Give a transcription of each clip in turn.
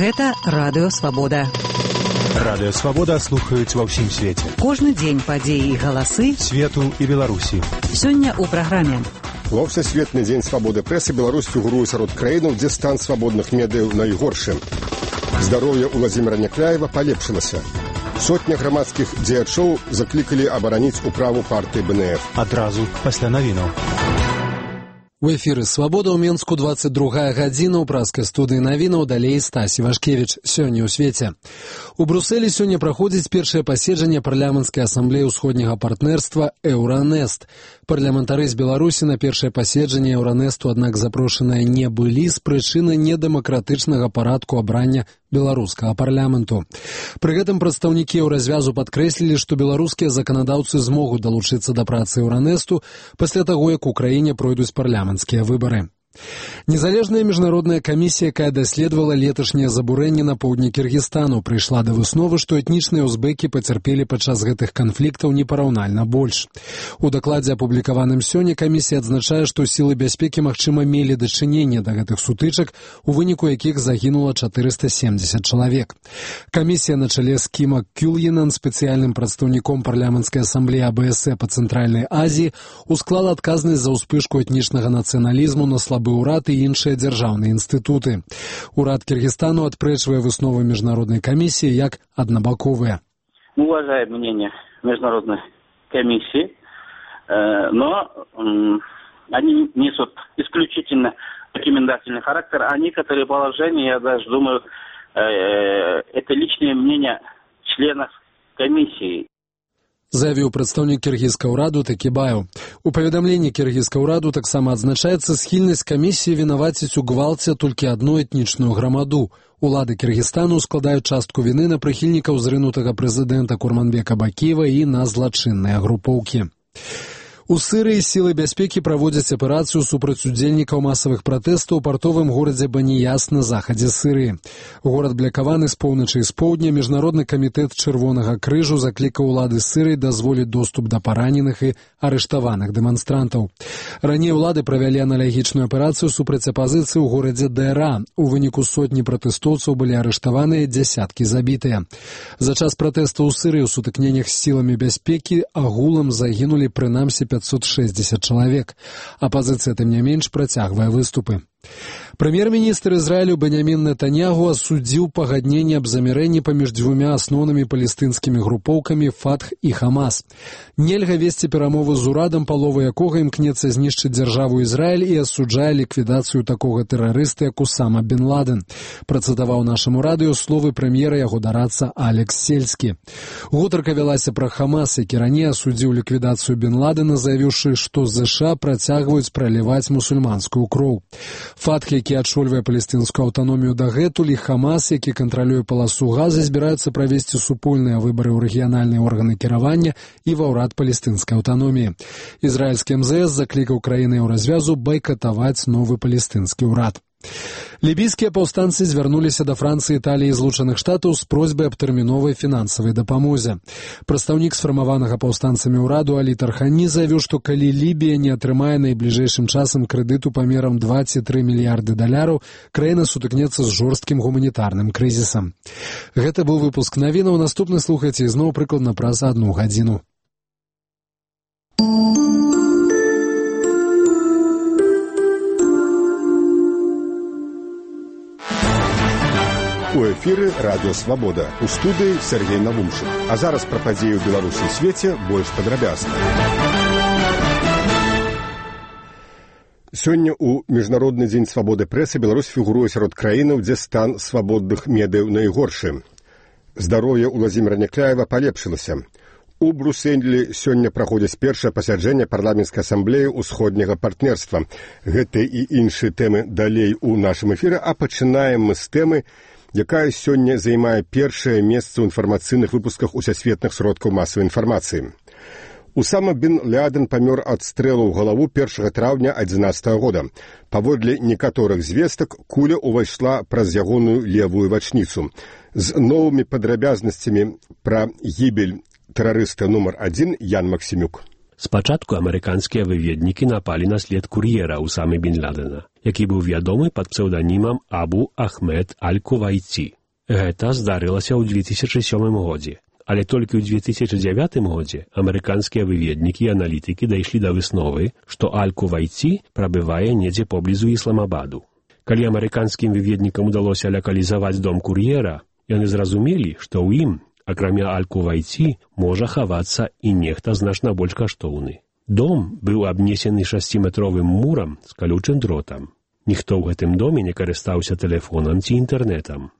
Гэта Радыё Свабода. Радыё Свабода слухаюць ва ўсім свеце. Кожны дзень падзеі і галасы свету і Беларусі. Сёння ў праграме. Ва Всесветны дзень свабоды прэсы Беларусь фігуруе сярод краінаў, дзе стан свабодных медыяў найгоршы. Здароўе Уладзіміра Някляева палепшылася. Сотня грамадскіх дзеячоў заклікалі абараніць управу партыі БНФ. Адразу пасля навінаў. У эфіры «Свабода» ў Менску 22 гадзіна ў праскай студыі навінаў, далей Стась Івашкевіч. Сёння ў свеце. У Брусэлі сёння праходзіць першае паседжанне парламенцкай асамблеі ўсходняга партнерства «Еўранест». Парламентары з Беларусі на першае паседжанне «Еўранесту», аднак запрошаныя не былі з прычыны недэмакратычнага парадку абрання беларускага парламенту. Пры гэтым прадстаўнікі еўразвязу падкрэслілі, што беларускія заканадаўцы змогуць далучыцца да працы «Еўранесту» пасля таго, як у краіне пройдуць парламенцкія выбары. Незалежная міжнародная камісія, якая даследавала леташняе забурэнне на поўдні Кіргізстану, прыйшла да высновы, што этнічныя узбекі пацярпелі падчас гэтых канфліктаў непараўнальна больш. У дакладзе, апублікаваным сёння, камісія адзначае, што сілы бяспекі, магчыма, мелі дачыненне да гэтых сутычак, у выніку якіх загінула 470 чалавек. Камісія на чале з Кіма Кюльенан, спецыяльным прадстаўніком парламенцкай асамблеі АБС па Цэнтральнай Азіі, усклала адказнасць за ўспышку этнічнага нацыяналізму на слабы ўрад і іншыя дзяржаўныя інстытуты. Урад Киргизстану отпречивая высновы международной комиссии як однобоковые. Мы уважаем мнение международной комиссии, но они несут исключительно рекомендательный характер, а некоторые положения, я даже думаю, это личное мнение членов комиссии. Заявіў прадстаўнік кіргізскага ўраду Такібаев. У паведамленні кіргізскага ўраду таксама адзначаецца схільнасць камісіі вінаваціць у гвалце толькі адну этнічную грамаду. Улады Кіргізстану складаюць частку віны на прыхільнікаў зрынутага прэзідэнта Курманбека Бакіева і на злачынныя групоўкі. У Сырыі сілы бяспекі праводзяць аперацыю супраць удзельнікаў масавых пратэстаў у партовым горадзе Баніяс на захадзе Сырыі. Горад блякаваны з поўначы і з поўдня. Міжнародны камітэт Чырвонага крыжу заклікаў улады Сырыі дазволіць доступ да параненых і арыштаваных дэманстрантаў. Раней улады правялі аналагічную аперацыю супраць апазіцыі ў горадзе Дэра. У выніку сотні пратэстоўцаў былі арыштаваныя, дзясяткі забітыя. За час пратэстаў у Сырыі ў сутыкненнях з сіламі бяспекі агулам загінулі прынамсі 560 чалавек. Апазіцыя, тым не менш, працягвае выступы. Прэм'ер-міністр Ізраілю Беньямін Нетаньяху асудзіў пагадненне аб замірэнні паміж дзвюмя асноўнымі палестынскімі групоўкамі Фатх і Хамас. Нельга весці перамовы з урадам, палова якога імкнецца знішчыць дзяржаву Ізраіль і асуджае ліквідацыю такога тэрарыста, як Усама бен Ладен. Працытаваў нашаму радыё словы прэм'ера яго дарадца Алекс Сельскі. Гутарка вялася пра Хамас, які раней асудзіў ліквідацыю бен Ладена, заявіўшы, што ЗША працягваюць праліваць мусульманскую кроў. Фатх, які адшольвае палестынскую аўтаномію дагэтуль, і Хамас, які кантралюе паласу Газы, збіраюцца правесці супольныя выбары ў рэгіянальныя органы кіравання і ва ўрад палестынскай аўтаноміі. Ізраільскі МЗС заклікаў краіны еўразвязу байкатаваць новы палестынскі ўрад. Лібійскія паўстанцы звярнуліся да Францыі, Італіі і Злучаных Штатаў з просьбай аб тэрміновай фінансавай дапамозе. Прадстаўнік сфармаванага паўстанцамі ўраду Алі Тархані заявіў, што калі Лібія не атрымае найбліжэйшым часам крэдыту памерам 23 мільярды даляраў, краіна сутыкнецца з жорсткім гуманітарным крызісам. Гэта быў выпуск навінаў. Наступны слухайце ізноў прыкладна праз 1 гадзіну. У эфіры Радыё Свабода. У студыі Сергей Навумчык. А зараз пра падзеі ў Беларусі і свеце больш падрабязна. Сёння ў Міжнародны дзень свабоды прэсы Беларусь фігуруе сярод краінаў, дзе стан свабодных медыяў найгоршы. Здароўе Уладзіміра Някляева палепшылася. У Брусэлі сёння праходзіць першае пасяджэнне парламенцкай асамблеі ўсходняга партнерства. Гэта і іншыя тэмы далей у нашым эфіры, а пачынаем мы з тэмы, якая сёння займае першае месца ў інфармацыйных выпусках усесветных сродкаў масавай інфармацыі. Усама бен Ладен памёр ад стрэлу ў галаву 1 траўня 2011 года. Паводле некаторых звестак, куля ўвайшла праз ягоную левую вачніцу. З новымі падрабязнасцямі пра гібель тэрарыста нумар 1 Ян Максімюк. Спачатку амерыканскія выведнікі напалі на след кур'ера Усамы бен Ладена. які быў вядомы пад псеўданімам Абу Ахмед Аль-Кувайці. Гэта здарылася ў 2007 годзе. Але толькі ў 2009 годзе амерыканскія выведнікі і аналітыкі дайшлі да высновы, што Аль-Кувайці прабывае недзе поблізу Ісламабаду. Калі амерыканскім выведнікам удалося лакалізаваць дом кур'ера, яны зразумелі, што ў ім, акрамя Аль-Кувайці, можа хавацца і нехта значна больш каштоўны. Дом быў абнесены 6-метровым мурам з калючым дротам. Ніхто ў гэтым доме не карыстаўся тэлефонам ці інтэрнетам.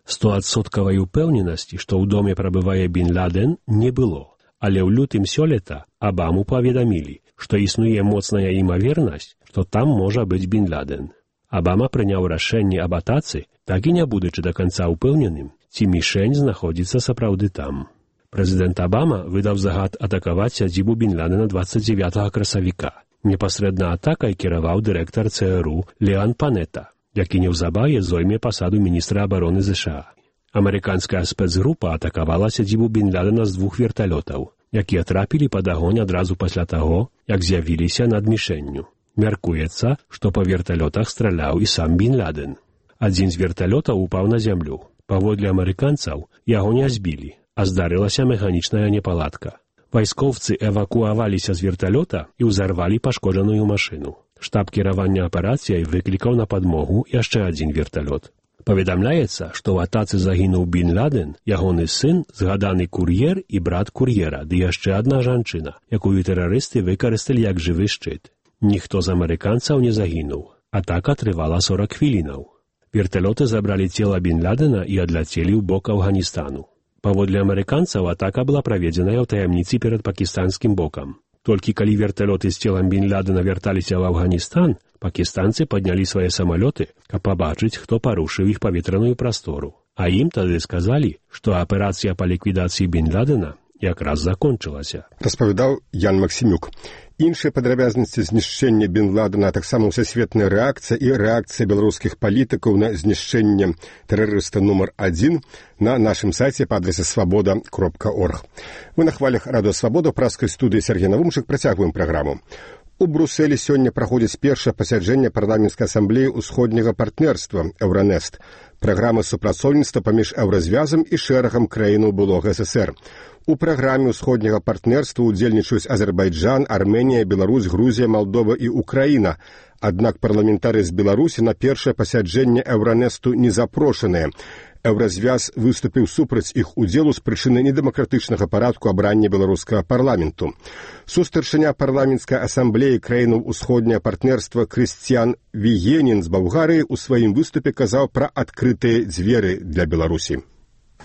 100% упэўненасці, што ў доме прабывае Бін Ладен, не было. Але ў лютым сёлета Абаму паведамілі, што існуе моцная імавернасць, што там можа быць Бін Ладен. Абама прыняў рашэнне аб атацы, так і не будучы да канца ўпэўненым, ці мішень знаходзіцца сапраўды там. Прэзідэнт Абама выдаў загад атакаваць сядзібу Бін Ладена 29 красавіка. Непасрэдна атакай кіраваў дырэктар ЦРУ Леан Панета, які неўзабаве зойме пасаду міністра абароны ЗША. Амерыканская спецгрупа атакавала сядзібу Бін Ладена з 2 верталётаў, якія трапілі пад агонь адразу пасля таго, як з'явіліся над мішэнню. Мяркуецца, што па верталётах страляў і сам Бін Ладен. Адзін з верталётаў упаў на зямлю. Паводле амерыканцаў, яго не збілі, а здарылася механічная непаладка. Вайскоўцы эвакуаваліся з верталёта і ўзарвалі пашкоджаную машыну. Штаб кіравання аперацыяй выклікаў на падмогу яшчэ адзін верталёт. Паведамляецца, што ў атацы загінуў Бін Ладен, ягоны сын, згаданы кур'ер і брат кур'ера, ды яшчэ адна жанчына, якую тэрарысты выкарысталі як жывы шчыт. Ніхто з амерыканцаў не загінуў. Атака трывала 40 хвілінаў. Верталёты забралі цела Бін Ладена і адляцелі ў бок Афганістану. Паводле амерыканцаў атака была праведзеная ў таямніцы перад пакістанскім бокам. Толькі калі верталёты з целам Бін Ладена вярталіся ў Афганістан, пакістанцы паднялі свае самалёты, каб пабачыць, хто парушыў іх паветраную прастору. А ім тады сказалі, што аперацыя па ліквідацыі Бін Ладена якраз закончылася. Распавядаў Ян Максімюк. Іншыя падрабязнасці знішчэння Бін Ладена, таксама ўсесветная рэакцыя і рэакцыя беларускіх палітыкаў на знішчэнне тэрарыста нумар 1 на нашым сайце па адрасе свабода.орг. Вы на хвалях Радыё Свабода, праскай студыі Сергей Навумчык, працягваем праграму. У Брусэлі сёння праходзіць першае пасяджэнне парламенцкай асамблеі ўсходняга партнерства «Еўранест», праграмы супрацоўніцтва паміж еўразвязам і шэрагам краінаў былога ССР. У праграме ўсходняга партнерства удзельнічаюць Азербайджан, Арменія, Беларусь, Грузія, Малдова і Украіна. Аднак парламентарыі з Беларусі на першае пасяджэнне Еўранесту не запрошаныя. Еўразвяз выступіў супраць іх удзелу з прычыны недэмакратычнага парадку абрання беларускага парламенту. Сустарчыня парламенцкай асамблеі краінаў усходняга партнерства Крысціян Віенін з Балгарыі ў сваім выступе казаў пра адкрытыя дзверы для Беларусі.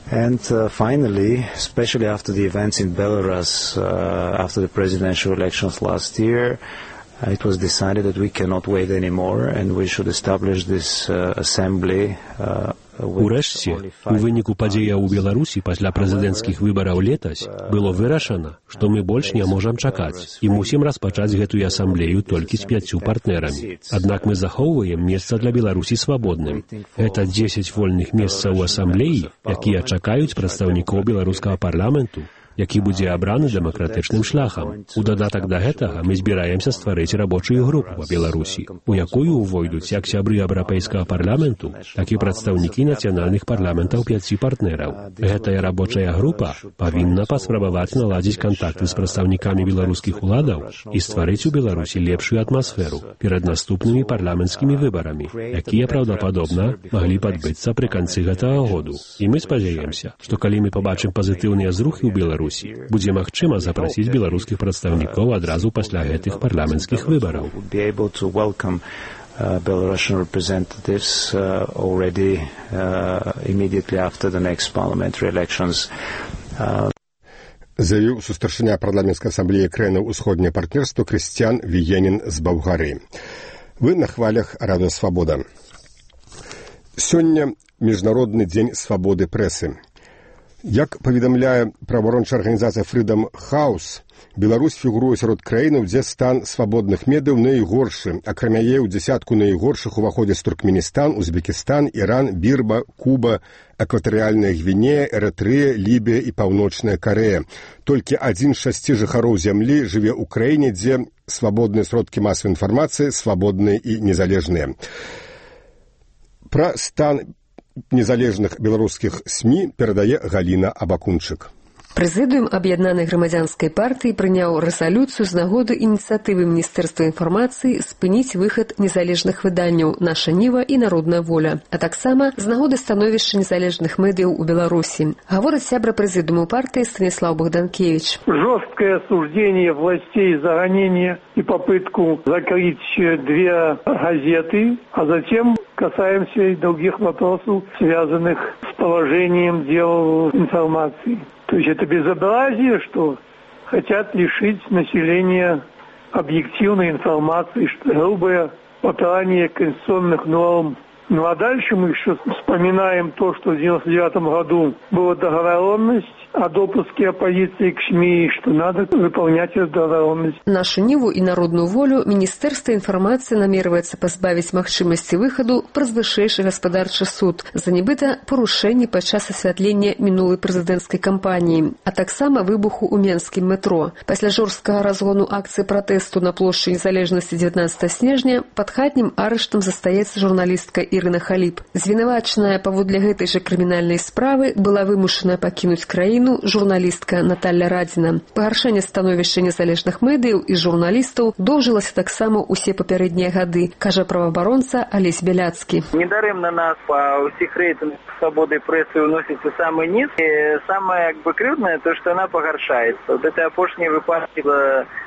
And finally, especially after the events in Belarus, after the presidential elections last year, it was decided that we cannot wait anymore and we should establish this assembly. Урэшце, у выніку падзеяў у Беларусі пасля прэзідэнцкіх выбараў летась было вырашана, што мы больш не можам чакаць і мусім распачаць гэтую асамблею толькі з 5 партнерамі. Аднак мы захоўваем месца для Беларусі свабодным. Гэта 10 вольных месцаў у асамблеі, якія чакаюць прадстаўнікоў беларускага парламенту, які будзе абраны дэмакратычным шляхам. У дадатак да гэтага мы збіраемся стварыць рабочую групу па Беларусі, у якую ўвойдуць як сябры еўрапейскага парламенту, так і прадстаўнікі нацыянальных парламентаў 5 партнераў. Гэтая рабочая група павінна паспрабаваць наладзіць кантакты з прадстаўнікамі беларускіх уладаў і стварыць у Беларусі лепшую атмасферу перад наступнымі парламенцкімі выбарамі, якія, праўдападобна, маглі падбыцца пры канцы гэтага году. І мы спадзяемся, што калі мы пабачым пазітыўныя зрухі ў Беларусі, будзе магчыма запрасіць беларускіх прадстаўнікоў адразу пасля гэтых парламенцкіх выбараў. Belarusian representatives already immediately after the next parliamentary elections. Заявіў сустарчыня парламенцкай асамблеі краінаў усходняга партнерства Крысціян Віенін з Балгарыі. Вы на хвалях Радыё Свабода. Сёння міжнародны дзень свабоды прэсы. Як паведамляе праваабарончая арганізацыя Freedom House, Беларусь фігуруе сярод краінаў, дзе стан свабодных медыяў найгоршы. Акрамя яе ў дзясятку найгоршых уваходзяць Туркменістан, Узбекістан, Іран, Бірма, Куба, Экватарыяльная Гвінея, Эрытрэя, Лібія і Паўночная Карэя. Толькі 1 з 6 жыхароў зямлі жыве ў краіне, дзе свабодныя сродкі масавай інфармацыі свабодныя і незалежныя. Пра стан незалежных беларускіх СМІ перадае Галіна Абакунчык. Прэзідыум Аб'яднанай грамадзянскай партыі прыняў рэзалюцыю з нагоды ініцыятывы Міністэрства інфармацыі спыніць выхад незалежных выданняў «Наша Ніва» і «Народная воля», а таксама з нагоды становішча незалежных медыяў у Беларусі. Гаворыць сябра прэзідыуму партыі Станіслав Богданкевич. Жесткое осуждение властей за гонение и попытку закрыть 2 газеты, а затем касаемся и других вопросов, связанных с положением дел информации. То есть это безобразие, что хотят лишить населения объективной информации, что грубое попирание конституционных норм. Ну а дальше мы еще вспоминаем то, что в 1999 году была договоренность о допуске оппозиции к СМИ, что надо выполнять эту договоренность. Нашу Ніву і народную волю Міністэрства інфармацыі намерваецца пазбавіць магчымасці выхаду праз вышэйшы гаспадарчы суд за нібыта парушэнні падчас асвятлення мінулай прэзідэнцкай кампаніі, а таксама выбуху ў менскім метро. Пасля жорсткага разгону акцыі пратэсту на плошчы Незалежнасці 19 снежня пад хатнім арыштам застаецца журналістка Ірына Халіп. Звінавачаная паводле гэтай жа крымінальнай справы была вымушаная пакінуць краіну журналістка Наталья Радзіна. Пагаршэнне становішча незалежных медыяў і журналістаў доўжылася таксама ўсе папярэднія гады, кажа праваабаронца Алесь Бяляцкі. Недарэмна нас па ўсіх рэйтынгах свабоды прэсы уносіцца самы низ, і самае крыўднае то, што яна пагаршаецца. Вот это апошнія выпадкі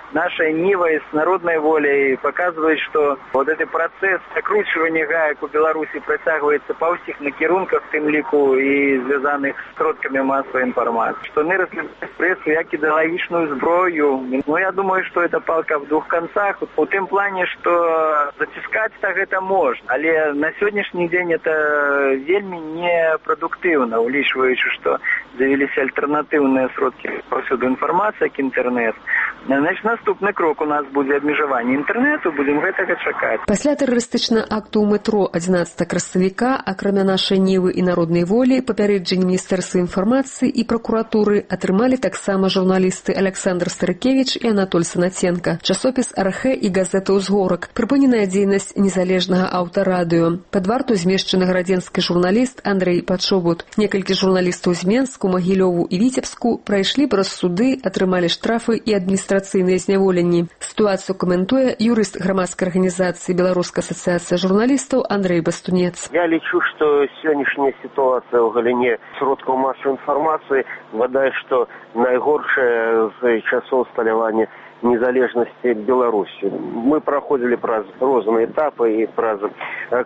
«Наша Нива» с «Народной волей» показывает, что вот этот процесс закручивания гаек у Беларуси протягивается по всех накерунках, в тем лику и связанных с сродками массовой информации. Что они разглядают прессу як идеологичную зброю. Но я думаю, что это палка в двух концах. В том плане, что затискать так это можно. Але на сегодняшний день это вельми непродуктивно, улічваючи, что завелись альтернативные сродки повсюду информации, как интернет. Значит, наступны крок у нас будзе абмежаванне інтэрнэту, будзем гэтага чакаць. Пасля тэрарыстычнага акту ў метро 11 красавіка, акрамя нашай Нівы і народнай волі, папярэджанне Міністэрства інфармацыі і пракуратуры атрымалі таксама журналісты Александр Старыкевіч і Анатоль Санаценко, часопіс «Архэ» і газета «Узгорак», прыпыненая дзейнасць незалежнага аўтарадыё. Пад варту змешчаны гарадзенскі журналіст Андрэй Пачобут. Некалькі журналістаў з Менску, Магілёву і Віцебску прайшлі праз суды, атрымалі штрафы і адміністрацыйныя зняволенні. Ситуацию комментуя юрист громадской организации Белорусская ассоциация журналистов Андрей Бастунец. Я лечу, что сегодняшняя ситуация в галине сродков массовой информации, вода, что наигоршее з часов сталявания незалежности Беларуси. Мы проходили праз розные этапы, и праз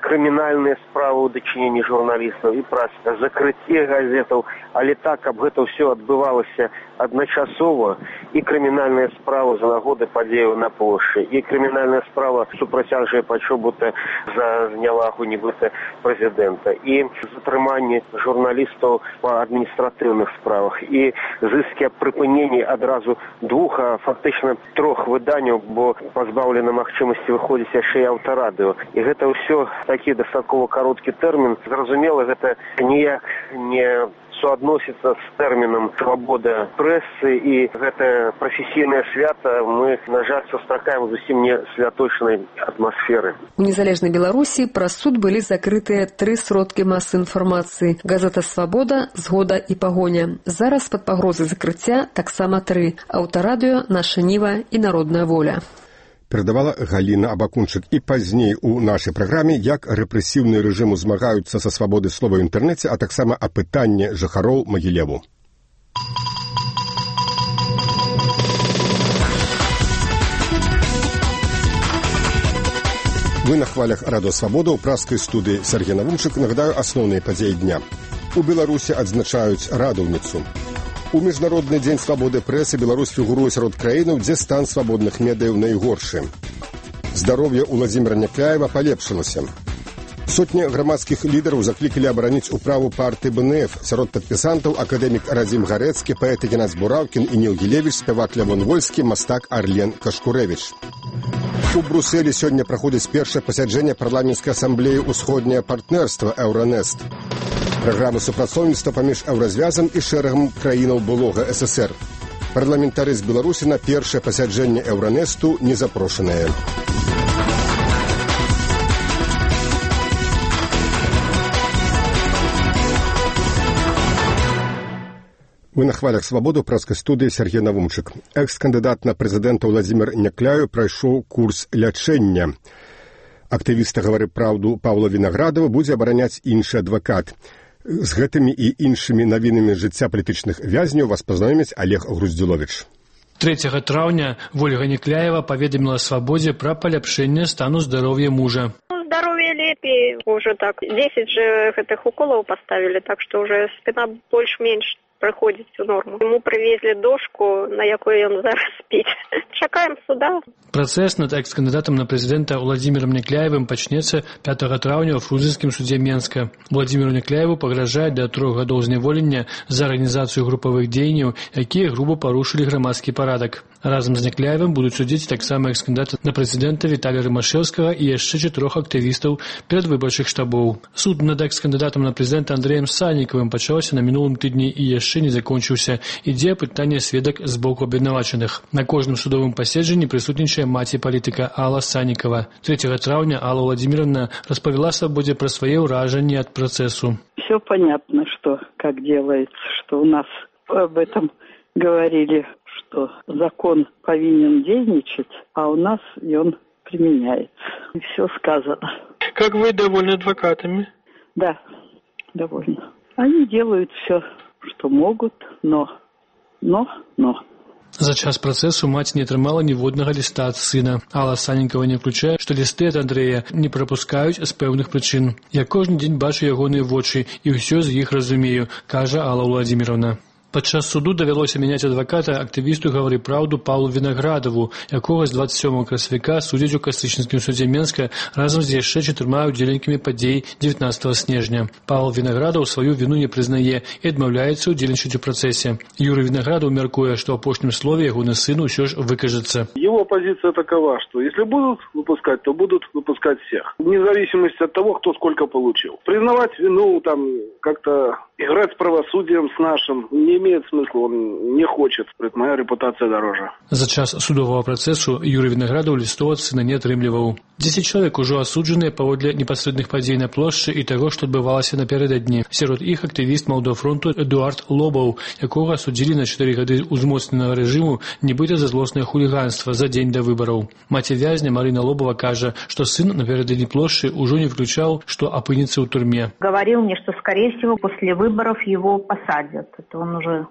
криминальные справы ў дачыненні журналистов, и праз закрытие газетов. Але так, каб гэта все отбывалася одночасово, и криминальная справа за нагоды падзеяў на плошчы, и криминальная справа супраць Анджэя Пачобута за знявагу нібыта прэзідэнта, и затрыманне журналістаў па адміністратыўных справах, и зыскі аб прыпыненні адразу 2, а фактычна 3 выданняў, бо пазбаўлена магчымасці выходзіць яшчэ і аўтарадыё. І гэта ўсё такі дастаткова кароткі тэрмін. Зразумела, гэта ніяк не суадносіцца з тэрмінам свабода прэсы, і гэта прафесійнае свята мы, на жаль, сустракаем зусім не святочнай атмасферы. У незалежнай Беларусі праз суд былі закрытыя 3 сродкі масавай інфармацыі: газета «Свабода», «Згода» і «Пагоня». Зараз пад пагрозай закрыцця таксама 3: аўтарадыё, «Наша Ніва» і «Народная воля». Перадавала Галіна Абакунчык. І пазней у нашай праграме, як рэпрэсіўныя рэжымы змагаюцца са свабодай слова ў інтэрнэце, а таксама апытанне жыхароў Магілеву. Вы на хвалях Радыё Свабода. У праскай студыі Сергей Навумчык. Нагадаю асноўныя падзеі дня. У Беларусі адзначаюць радаўніцу. У Міжнародны дзень свабоды прэсы Беларусь фігуруе сярод краінаў, дзе стан свабодных медыяў найгоршы. Здароўе Уладзіміра Някляева палепшылася. Сотня грамадскіх лідараў заклікалі абараніць управу партыі БНФ. Сярод падпісантаў акадэмік Радзім Гарэцкі, паэт Ігнаць Бураўкін і Ніл Гілевіч, спявак Лявон Вольскі, мастак Арлен Кашкурэвіч. У Брусэлі сёння праходзіць першае пасяджэнне парламенцкай асамблеі «Усходняе партнерства» Еўранест. Праграма супрацоўніцтва паміж Еўразвязам і шэрагам краінаў былога ССР. Парламентары з Беларусі на першае пасяджэнне Еўранесту не запрошаныя. Вы на хвалях «Свабоды» ў прэскай студыі Сергей Навумчык. Экс-кандыдат на прэзідэнта Владзімір Някляю прайшоў курс лячэння. Актывіста «Гавары праўду» Паўла Вінаградова будзе абараняць іншы адвакат. З гэтымі і іншымі навінамі жыцця палітычных вязняў вас пазнаёміць Олег Груздзіловіч. 3 траўня Вольга Някляева паведаміла «Свабодзе» пра паляпшэнне стану здароўя мужа. Здоровье лепей, уже так. 10 же гэтых уколов поставили, так что уже спина больше-меньше проходит всю норму. Ему привезли дошку, на якой он зараз спит. Чакаем суда. Працэс над экс-кандыдатам на прэзідэнта Владзімірам Някляевым пачнецца 5 траўня ў Фрунзенскім судзе Менска. Владзіміру Някляеву пагражае да 3 гадоў зняволення за арганізацыю групавых дзеянняў, якія груба парушылі грамадскі парадак. Разам з Някляевым будуць судзіць таксама экс-кандыдата на прэзідэнта Віталія Рымашэўскага і яшчэ 4 актывістаў перадвыбарчых штабоў. Суд над экс-кандыдатам на прэзідэнта Андрэем Саннікавым пачаўся на мінулым тыдні і яшчэ не закончыўся. Ідзе апытанне сведак з боку абвінавачаных. На кожным судовым паседжанні прысутнічае маці палітыка Алла Саннікава. 3 траўня Алла Владимировна распавяла «Свободе» про свае ўражанні ад працэсу. Все понятно, что как делается, что у нас об этом говорили, что закон повинен действовать, а у нас и он применяется. И все сказано. Как вы довольны адвокатами? Да, довольна. Они делают все, что могут, но. За час працэсу маці не атрымала ніводнага ліста ад сына. Алла Саннікава не ўключае, што лісты ад Андрэя не прапускаюць з пэўных прычын. Я кожны дзень бачу ягоныя вочы і ўсё з іх разумею, кажа Алла Владимировна. Падчас суду давялося мяняць адваката актывісту «Гавары праўду» Паўлу Вінаградаву, якога з 27 красавіка судзяць у Кастрычніцкім судзе Менска разам з яшчэ 4 удзельнікамі падзей 19 снежня. Павел Вінаградаў сваю віну не прызнае і адмаўляецца ўдзельнічаць у працэсе. Юрый Вінаградаў мяркуе, што ў апошнім слове ягоны сын усё ж выкажется. Его позиция такова, что если будут выпускать, то будут выпускать всех. Вне зависимости от того, кто сколько получил. Признавать вину, там, как-то играть с правосудием, с нашим, не имеет смысла, он не хочет. Моя репутация дороже. За час судового працэсу Юрый Вінаградаў лістоў ад сына не атрымліваў. 10 чалавек ужо асуджаныя паводле непасрэдных падзей на плошчы і таго, што адбывалася напярэдадні. Сярод іх актывіст Малдофронту Эдуард Лобаў, якога асудзілі на 4 гады узмоцненага рэжыму, нібыта за злоснае хуліганства за дзень да выбараў. Маці вязня Марына Лобава кажа, што сын напярэдадні плошчы ўжо не включаў, што апынецца ў турме. Говорил мне, что, скорее всего, после выборов его посадят. Это он уже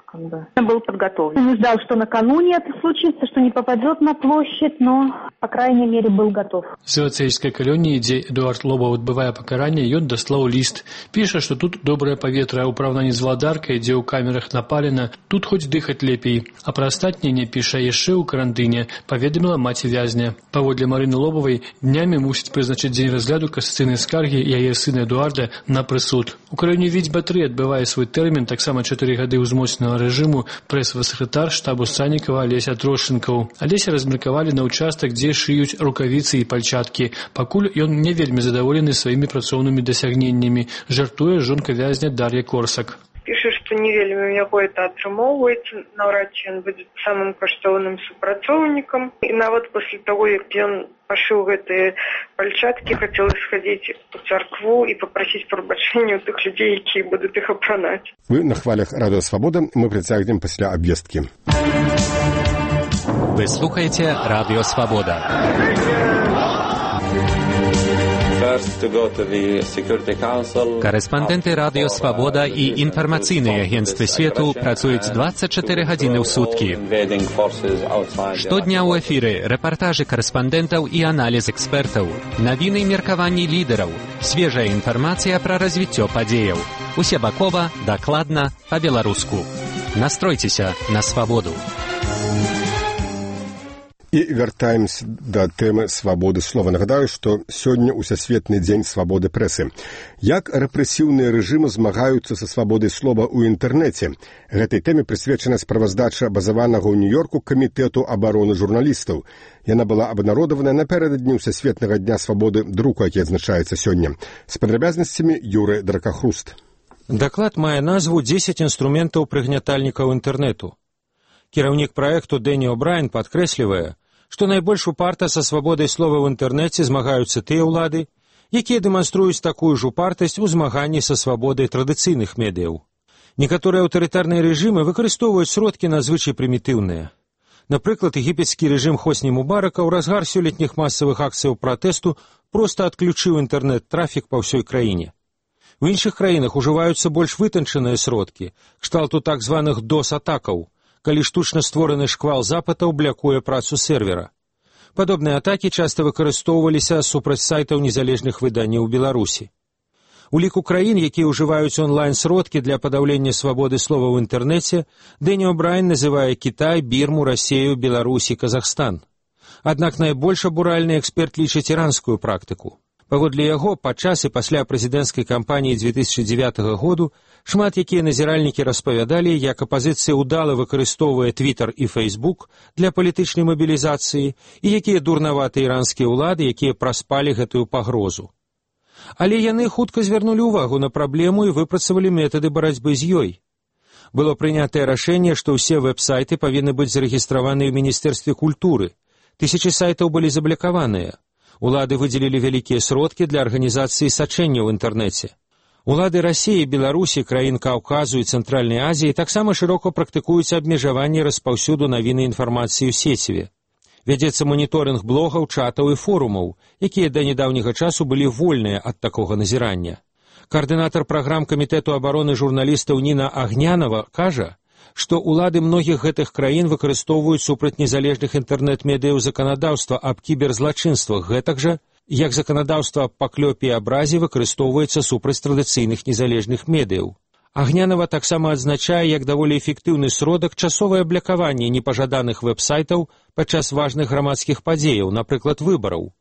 был подготовлен. Он ждал, что накануне это случится, что не попадет на площадь, но, по крайней мере, был готов. З Вацейскай калоніі, дзе Эдуард Лобаў адбывае пакаранне, ён даслаў ліст. Піша, што тут добрае паветра, а ў параўнанні з Владаркай, дзе ў камерах напалена, тут хоць дыхаць лепей. А пра астатняе не піша яшчэ ў карантыне, паведаміла маці вязня. Паводле Марыны Лобавай, днямі мусіць прызначыць дзень разгляду касацыйнай скаргі яе сына Эдуарда на прысуд. У краіне Віцьба-3 адбывае свой тэрмін, таксама 4 гады ўзмоцненага рэжыму, прэс-сакратар штабу Саннікава Алеся Трошчынкаў. Алеся размеркавалі на ўчастак, дзе шыюць рукавіцы і пальчаткі. Пакуль ён не вельмі задаволены сваімі працоўнымі дасягненнямі, жартуе жонка вязня Дар'я Корсак. Піша, што не вельмі яго это атрымоўваецца, наўрад ці ён будзе самым каштоўным супрацоўнікам. І нават пасля таго, як ён пашыў гэтыя пальчаткі, хацела схадзіць у царкву і папрасіць прабачэння ў тых людзей, якія будуць іх апранаць. Вы на хвалях Радыё Свабода, мы працягнем пасля абвесткі. Вы слухаеце Радыё Свабода. Корэспандэнты Радыё Свабода і інфармацыйныя агенцтвы свету працуюць 24 гадзіны ў суткі. Штодня ў эфіры рэпартажы корэспандэнтаў і аналіз экспертаў, навіны і меркаванні лідараў, свежая інфармацыя пра развіццё падзеяў. Усебакова, дакладна, па-беларуску. Настройцеся на свабоду. І вяртаемся да тэмы свабоды слова. Нагадаю, што сёння ўсесветны дзень свабоды прэсы. Як рэпрэсіўныя рэжымы змагаюцца са свабодай слова ў інтэрнэце? Гэтай тэме прысвечана справаздача базаванага ў Нью-Йорку камітэту абароны журналістаў. Яна была абнародавана напярэдадні ўсесветнага дня свабоды друку, які адзначаецца сёння. З падрабязнасцямі Юры Дракахруст. Даклад мае назву «10 інструментаў прыгнятальнікаў інтэрнэту». Кіраўнік праекту Дэні О'Брайен падкрэслівае, што найбольш упарта са свабодай слова ў інтэрнэце змагаюцца тыя ўлады, якія дэманструюць такую ж упартасць у змаганні са свабодай традыцыйных медыяў. Некаторыя аўтарытарныя рэжымы выкарыстоўваюць сродкі надзвычай прымітыўныя. Напрыклад, егіпецкі рэжым Хосні Мубарака ў разгар сёлетніх масавых акцыяў пратэсту проста адключыў інтэрнэт-трафік па ўсёй краіне. У іншых краінах ужываюцца больш вытанчаныя сродкі, кшталту так званых DOS-атакаў, калі штучна створаны шквал запытаў блякуе працу сервера. Падобныя атакі часта выкарыстоўваліся супраць сайтаў незалежных выданняў у Беларусі. У ліку краін, якія ўжываюць онлайн-сродкі для падаўлення свабоды слова ў інтэрнэце, Дэні О'Брайен называе Кітай, Бірму, Расею, Беларусь і Казахстан. Аднак найбольш абуральны эксперт лічыць іранскую практыку. Паводле яго, падчас і пасля прэзідэнцкай кампаніі 2009 году шмат якія назіральнікі распавядалі, як апазіцыя ўдала выкарыстоўвае Твіттер і Фейсбук для палітычнай мабілізацыі і якія дурнаватыя іранскія ўлады, якія праспалі гэтую пагрозу. Але яны хутка звярнулі ўвагу на праблему і выпрацавалі метады барацьбы з ёй. Было прынятае рашэнне, што ўсе вэб-сайты павінны быць зарэгістраваны ў Міністэрстве культуры. Тысячы сайтаў былі заблакаваныя. Улады выдзелілі вялікія сродкі для арганізацыі сачэння ў інтэрнэце. Улады Расіі, Беларусі, краін Каўказу і Цэнтральнай Азіі таксама шырока практыкуюць абмежаванне распаўсюду навіны інфармацыі ў сеціве. Вядзецца маніторынг блогаў, чатаў і форумаў, якія да нядаўняга часу былі вольныя ад такога назірання. Каардынатар праграм камітэту абароны журналістаў Ніна Агнянова кажа, што ўлады многіх гэтых краін выкарыстоўваюць супраць незалежных інтэрнэт-медыяў заканадаўства аб кіберзлачынствах, гэтак жа, як заканадаўства аб паклёпе і абразе выкарыстоўваецца супраць традыцыйных незалежных медыяў. Агнянова таксама адзначае, як даволі эфектыўны сродак часовае блякаванне непажаданых вэб-сайтаў падчас важных грамадскіх падзеяў, напрыклад, выбараў.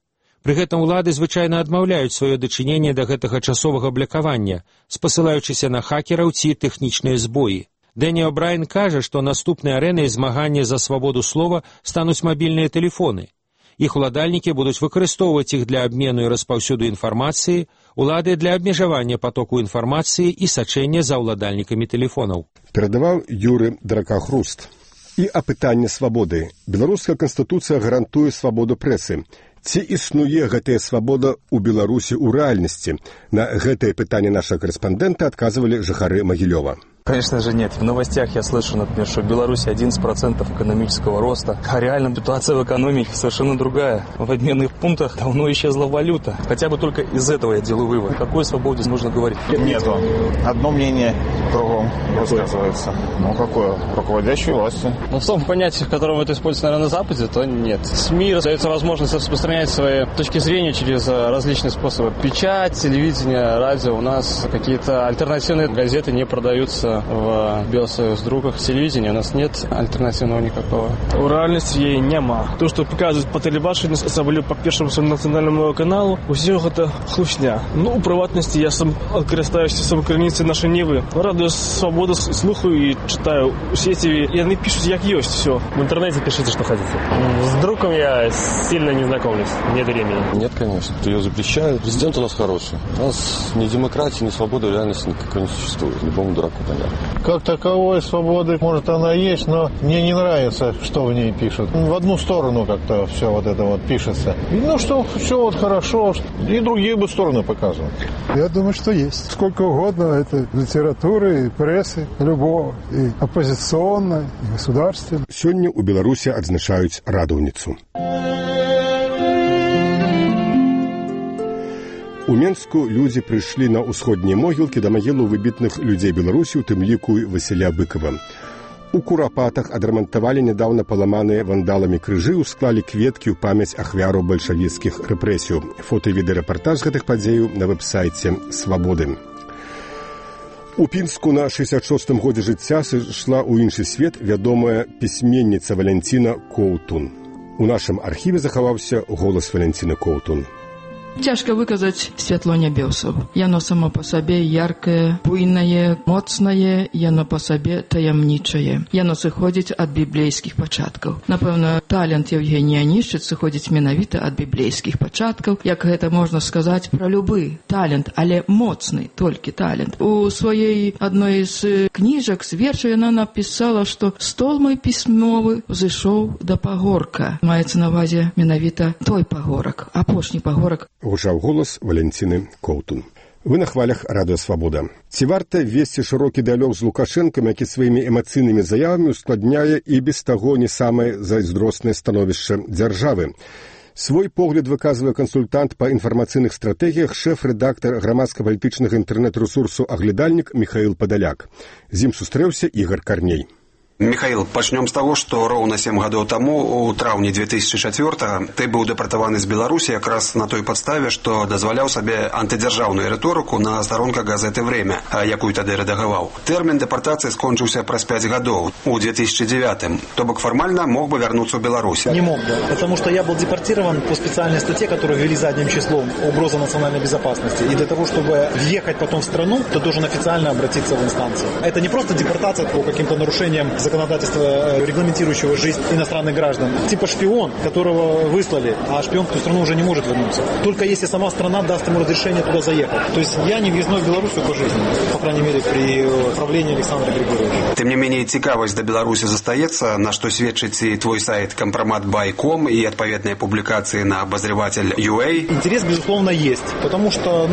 Пры гэтым улады звычайна адмаўляюць сваё дачыненне да гэтага часовага блякавання, спасылаючыся на хакераў ці тэхнічныя збоі. Дэні О'Брайен кажа, што наступнай арэнай змагання за свабоду слова стануць мабільныя тэлефоны. Іх уладальнікі будуць выкарыстоўваць іх для абмену і распаўсюду інфармацыі, улады для абмежавання патоку інфармацыі і сачэння за ўладальнікамі тэлефонаў. Перадаваў Юры Дракахруст. І апытанне свабоды. Беларуская канстытуцыя гарантуе свабоду прэсы. Ці існуе гэтая свабода ў Беларусі ў рэальнасці? На гэтае пытанне нашага корэспандэнта адказвалі жыхары Магілёва. Конечно же нет. В новостях я слышу, например, что в Беларуси 11% экономического роста, а реально ситуация в экономике совершенно другая. В обменных пунктах давно исчезла валюта. Хотя бы только из этого я делаю вывод. О какой свободе можно говорить? Нету. Одно мнение кругом высказывается. Ну, какое? Руководящей власти. Ну, в том понятии, в котором это используется, наверное, на Западе, то нет. СМИ дается возможность распространять свои точки зрения через различные способы. Печать, телевидение, радио. У нас какие-то альтернативные газеты не продаются в Белсоюз-другах. Телевидения у нас нет альтернативного никакого. У реальности її нема. То, що показують по телебаченню, особливо по першому національному каналу, усього це хлусня. Ну, у приватності я сам користаюся сам керівництвом нашої Ніви. Радіо «Свобода» слухаю і читаю у сети, і вони пишуть як є, все. В интернете пишите, что хотите. С другом я сильно не знакомлюсь, нет времени. Нет, конечно, ее запрещают. Президент у нас хороший. У нас ни демократии, ни свободы в реальности никакой не существует. Любому дураку понятно. Как таковой свободы, может, она есть, но мне не нравится, что в ней пишут. В одну сторону как-то все вот это вот пишется. Ну, что все вот хорошо, и другие бы стороны показывают. Я думаю, что есть. Сколько угодно это литературы и прессы, любого, и оппозиционной, и государственной. Сегодня у Беларуси отзначают Радовницу. У Менску людзі прыйшлі на ўсходнія могілкі да магілу выбітных людзей Беларусі, у тым ліку Васіля Быкова. У Курапатах адрамантавалі нядаўна паламаныя вандаламі крыжы, усклалі кветкі ў памяць ахвяраў бальшавіцкіх рэпрэсіяў. Фота і відэарэпартаж гэтых падзеяў на вэб-сайце «Свабоды». У Пінску на 66-м годзе жыцця сышла ў іншы свет вядомая пісьменніца Валянціна Коўтун. У нашым архіве захаваўся голас Валентины Коўтун. Цяжка выказаць святло нябёсаў. Яно само па сабе яркае, буйнае, моцнае, яно па сабе таямнічае. Яно сыходзіць ад біблейскіх пачаткаў. Напэўна, талент Евгения Онищиц сыходзіць менавіта ад біблейскіх пачаткаў, як гэта можна сказаць пра любы талент, але моцны толькі талент. У сваёй адной з кніжак, з вершаў яна напісала, што стол мой пісьмовы ўзышоў да пагорка. Маецца на ўвазе менавіта той пагорак, апошні пагорак. Гучаў голас Валентины Коўтун. Вы на хвалях Радыё Свабода. Ці варта весці шырокі дыялог з Лукашэнкам, які сваімі эмацыйнымі заявамі ускладняе і без таго не самае зайздроснае становішча дзяржавы? Свой погляд выказвае кансультант па інфармацыйных стратэгіях, шэф-рэдактар грамадска-палітычнага інтэрнэт-рэсурсу «Аглядальнік» Михаил Падаляк. З ім сустрэўся Ігор Карней. Михаил, пачнём з таго, што роўна 7 гадоў таму, у траўні 2004-го, ты быў дэпартаваны з Беларусі якраз на той падставе, што дазваляў сабе антыдзяржаўную рыторыку на старонках газеты «Время», якую тады рэдагаваў. Тэрмін дэпартацыі скончыўся праз 5 гадоў, у 2009-м. То бок фармальна мог бы вярнуцца ў Беларусь. Не мог бы, потому что я был депортирован по специальной статье, которую ввели задним числом, угроза национальной безопасности. И для того, чтобы въехать потом в страну, ты должен официально обратиться в инстанцию. Это не просто депортация по каким-то нарушениям законодательства, регламентирующего жизнь иностранных граждан. Типа шпион, которого выслали, а шпион в ту страну уже не может вернуться. Только если сама страна даст ему разрешение туда заехать. То есть я не въездной в Белоруссию по жизни, по крайней мере, при правлении Александра Григорьевича. Тем не менее, цікавасць да Беларусі застаецца, на што сведчыць і твой сайт компромат.by.com и отповедные публикации на обозреватель.ua. Интерес, безусловно, есть, потому что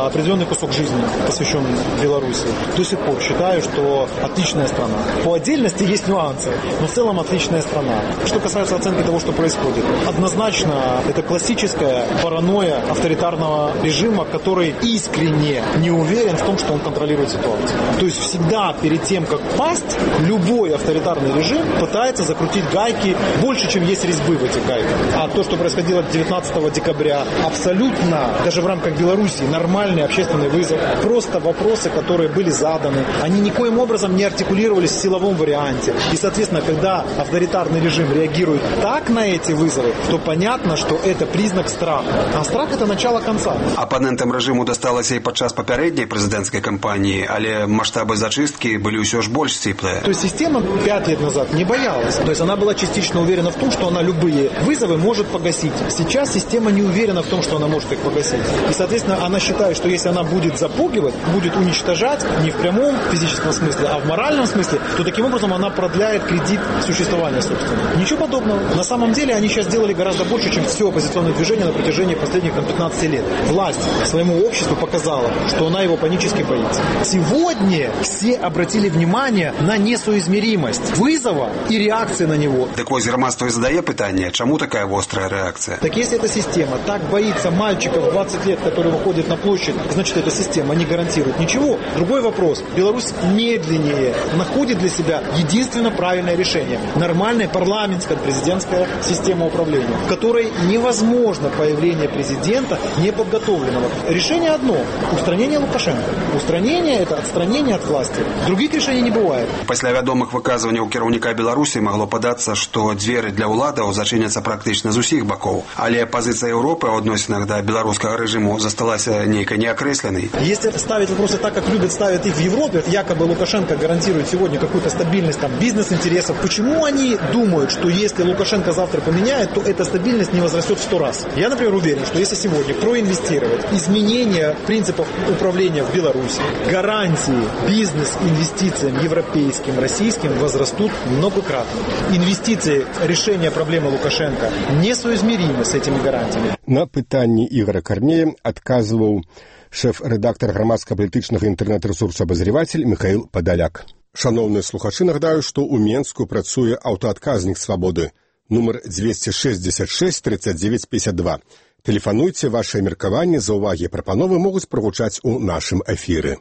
определенный кусок жизни посвящен Беларуси. До сих пор считаю, что отличная страна. По отдельности есть нюансы, но в целом отличная страна. Что касается оценки того, что происходит, однозначно это классическая паранойя авторитарного режима, который искренне не уверен в том, что он контролирует ситуацию. То есть всегда перед тем, как пасть, любой авторитарный режим пытается закрутить гайки больше, чем есть резьбы в этих гайках. А то, что происходило 19 декабря, абсолютно, даже в рамках Беларуси, нормальный общественный вызов. Просто вопросы, которые были заданы, они никоим образом не артикулировались в силовом варианте. И, соответственно, когда авторитарный режим реагирует так на эти вызовы, то понятно, что это признак страха. А страх – это начало конца. Апанентам режиму досталася і падчас папярэдняй прэзідэнцкай кампаніі, але маштабы зачистки былі ўсё ж больш сціплыя. То есть система 5 лет назад не боялась. То есть она была частично уверена в том, что она любые вызовы может погасить. Сейчас система не уверена в том, что она может их погасить. И, соответственно, она считает, что если она будет запугивать, будет уничтожать, не в прямом физическом смысле, а в моральном смысле, то таким образом она продляет кредит существования, собственно. Ничего подобного. На самом деле они сейчас сделали гораздо больше, чем все оппозиционное движение на протяжении последних 15 лет. Власть своему обществу показала, что она его панически боится. Сегодня все обратили внимание на несоизмеримость вызова и реакции на него. Так вось грамадства і задае пытанне, чаму такая острая реакция? Так если эта система так боится мальчиков 20 лет, которые выходят на площадь, значит эта система не гарантирует ничего. Другой вопрос. Беларусь медленнее находит для себя единственно правильное решение. Нормальная парламентская президентская система управления, в которой невозможно появление президента неподготовленного. Решение одно – устранение Лукашенко. Устранение – это отстранение от власти. Других решений не бывает. Пасля вядомых выказванняў кіраўніка Беларусі магло падацца, што дзверы для ўладаў зачыняцца практычна з усіх бакоў. Але пазіцыя Еўропы ў адносінах да беларускага рэжыму засталася нейкай неакрэсленай. Если ставить вопросы так, как любят ставить их в Европе, якобы Лукашенко гарантирует сегодня какую-то стабильность там, бизнес-интересов, почему они думают, что если Лукашенко завтра поменяет, то эта стабильность не возрастет в 100 раз? Я, например, уверен, что если сегодня проинвестировать изменения принципов управления в Беларуси, гарантии бизнес-инвестициям европейским, российским возрастут многократно. Инвестиции решения проблемы Лукашенко несоизмеримы с этими гарантиями. На пытанні Ігора Карнея адказваў шэф-рэдактар грамадска-палітычнага інтэрнэт-рэсурсу «Абазреватель» Михаил Падаляк. Шановныя слухачы, нагадаю, што ў Менску працуе аўтаадказнік «Свабоды». Нумар 266 39 52. Тэлефануйце, вашыя меркаванні, заўвагі і прапановы могуць прагучаць у нашым эфіры.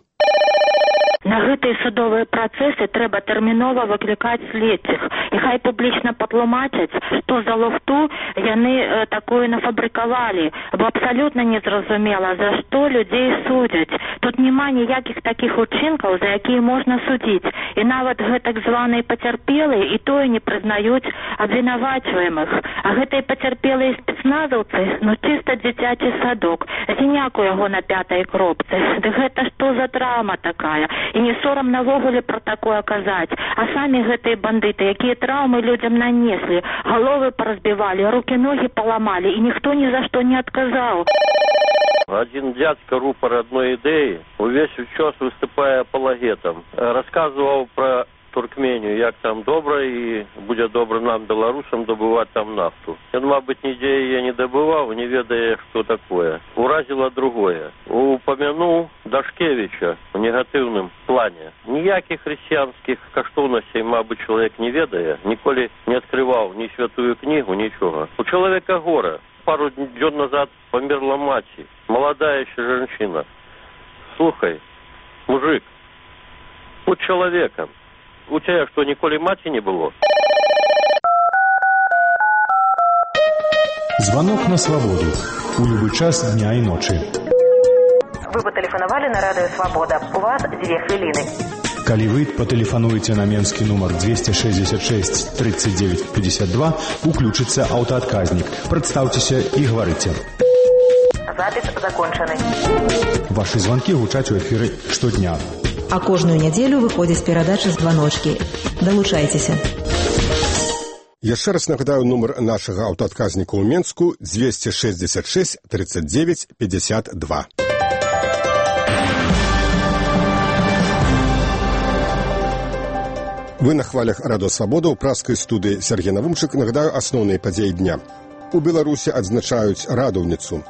На гэтыя судовыя працэсы трэба тэрмінова выклікаць следчых. І хай публічна патлумачаць, што за луфту яны такое нафабрыкавалі. Бо абсалютна незразумела, за што людзей судзяць. Тут няма ніякіх такіх учынкаў, за якія можна судзіць. І нават гэтак званыя пацярпелыя і тое не прызнаюць абвінавачваемых. А гэтыя пацярпелыя спецназаўцы, чыста дзіцячы садок. Зіняк у яго на 5-й кропцы. Ды гэта што за драма такая? І не сорам навогуле пра такое казаць. А самі гэтыя бандыты, якія траўмы людзям нанеслі, галовы паразбівалі, рукі-ногі паламалі, і ніхто ні за што не адказаў. Один дядька, рупор одной идеи, увесь час выступая апологетом, рассказывал про Туркмению, як там добра и будет добро нам, белорусам, добывать там нафту. Он, мабуть, нигде ее не добывал, не ведая, что такое. Уразило другое. Упомянул Дашкевича в негативном плане. Ніяких христианских каштовностей, мабуть, человек не ведая, николи не открывал ни святую книгу, ничего. У человека горе. Пару дней назад померла мать, молодая еще женщина. Слухай, мужик, будь человеком. У тебя что, николи мати не было? Звонок на свободу. У любой час дня и ночи. Вы патэлефанавалі на радыё «Свабода». У вас 2 хвіліны. Калі вы патэлефануеце на менскі нумар 266 39 52, уключыцца аўтаадказнік. Прадстаўцеся і гаварыце. Запіс закончаны. Вашы званкі гучаць у эфіры штодня. А кожную нядзелю выходзіць перадача з званочкі. Далучайцеся. Яшчэ раз нагадаю нумар нашага аўтаадказніка ў Менску 266 39 52. Вы на хвалях радыё «Свабода» ў праскай студыі Сергей Навумчык. Нагадаю асноўныя падзеі дня. У Беларусі адзначаюць радаўніцу.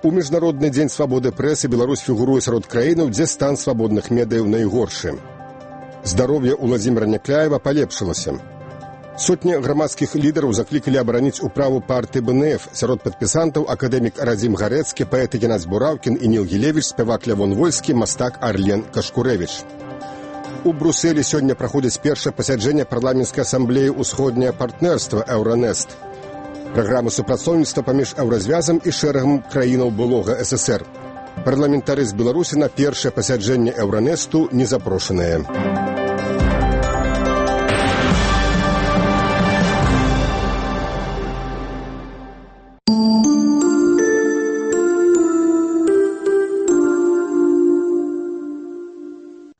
У Міжнародны дзень свабоды прэсы Беларусь фігуруе сярод краінаў, дзе стан свабодных медыяў найгоршы. Здароўе Уладзіміра Някляева палепшылася. Сотні грамадскіх лідараў заклікалі абараніць управу партыі БНФ. Сярод падпісантаў акадэмік Радзім Гарэцкі, паэт Геннадзь Бураўкін і Ніл Гілевіч, спявак Лявон Вольскі, мастак Арлен Кашкурэвіч. У Брусэлі сёння праходзіць першае пасяджэнне парламенцкай асамблеі «Усходняе партнерства» «Еўранест». Праграма супрацоўніцтва паміж Еўразвязам і шэрагам краінаў былога ССР. Парламентары з Беларусі на першае пасяджэнне «Еўранесту» не запрошаныя.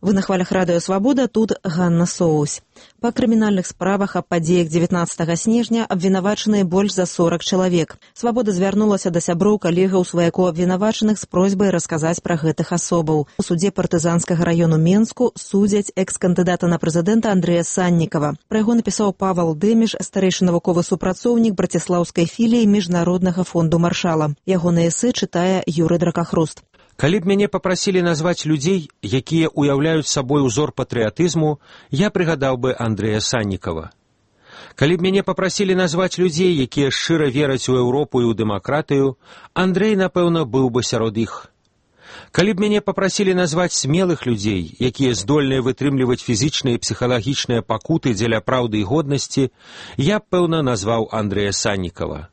Вы на хвалях радыё «Свабода», тут Ганна Соусь. Па крымінальных справах аб падзеях 19 снежня абвінавачаныя больш за 40 чалавек. «Свабода» звярнулася да сяброў, калегаў, сваякоў абвінавачаных з просьбай расказаць пра гэтых асобаў. У судзе партызанскага раёну Менску судзяць экс-кандыдата на прэзідэнта Андрэя Саннікава. Пра яго напісаў Павал Дэміш, старэйшы навуковы супрацоўнік браціслаўскай філіі Міжнароднага фонду Маршала. Ягонае эсэ чытае Юрый Дракахруст. Калі б мяне папрасілі назваць людзей, якія ўяўляюць сабой узор патрыятызму, я прыгадаў бы Андрэя Саннікава. Калі б мяне папрасілі назваць людзей, якія шчыра вераць у Еўропу і ў дэмакратыю, Андрэй, напэўна, быў бы сярод іх. Калі б мяне папрасілі назваць смелых людзей, якія здольныя вытрымліваць фізічныя і псіхалагічныя пакуты дзеля праўды і годнасці, я б, пэўна, назваў Андрэя Саннікава.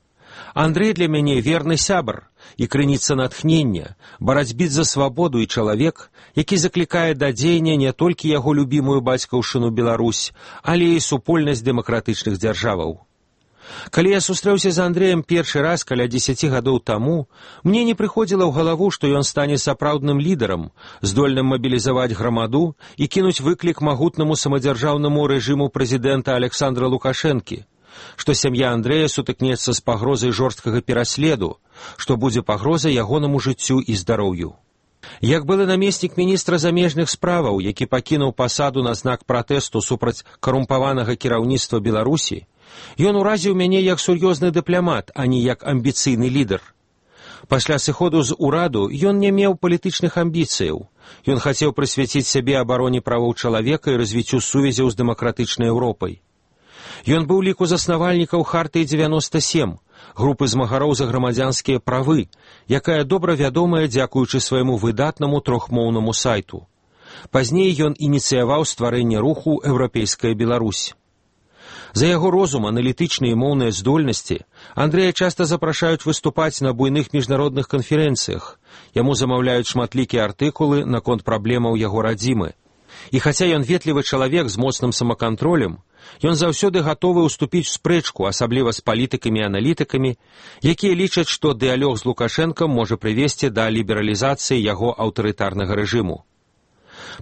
Андрэй для мяне верны сябар і крыніца натхнення, барацьбіт за свабоду і чалавек, які заклікае да дзеяння не толькі яго любімую бацькаўшчыну Беларусь, але і супольнасць дэмакратычных дзяржаваў. Калі я сустрэўся з Андрэем першы раз каля 10 гадоў таму, мне не прыходзіла ў галаву, што ён стане сапраўдным лідарам, здольным мабілізаваць грамаду і кінуць выклік магутнаму самадзяржаўнаму рэжыму прэзідэнта Александра Лукашэнкі, што сям'я Андрэя сутыкнецца з пагрозай жорсткага пераследу, што будзе пагроза ягонаму жыццю і здароўю. Як былы намеснік міністра замежных справаў, які пакінуў пасаду на знак пратэсту супраць карумпаванага кіраўніцтва Беларусі, ён уразіў мяне як сур'ёзны дыпламат, а не як амбіцыйны лідар. Пасля сыходу з ураду ён не меў палітычных амбіцыяў. Ён хацеў прысвяціць сябе абароне правоў чалавека і развіццю сувязяў з дэмакратычнай Еўропай. Ён быў ліку заснавальнікаў Хартыі 97, групы змагароў за грамадзянскія правы, якая добра вядомая дзякуючы свайму выдатнаму трохмоўнаму сайту. Пазней ён ініцыяваў стварэнне руху «Еўрапейская Беларусь». За яго розум, аналітычныя і моўныя здольнасці Андрэя часта запрашаюць выступаць на буйных міжнародных канферэнцыях. Яму замаўляюць шматлікія артыкулы наконт праблемаў яго радзімы. І хаця ён ветлівы чалавек з моцным самакантролем, ён заўсёды гатовы ўступіць у спрэчку, асабліва з палітыкамі і аналітыкамі, якія лічаць, што дыялог з Лукашэнкам можа прывесці да лібералізацыі яго аўтарытарнага рэжыму.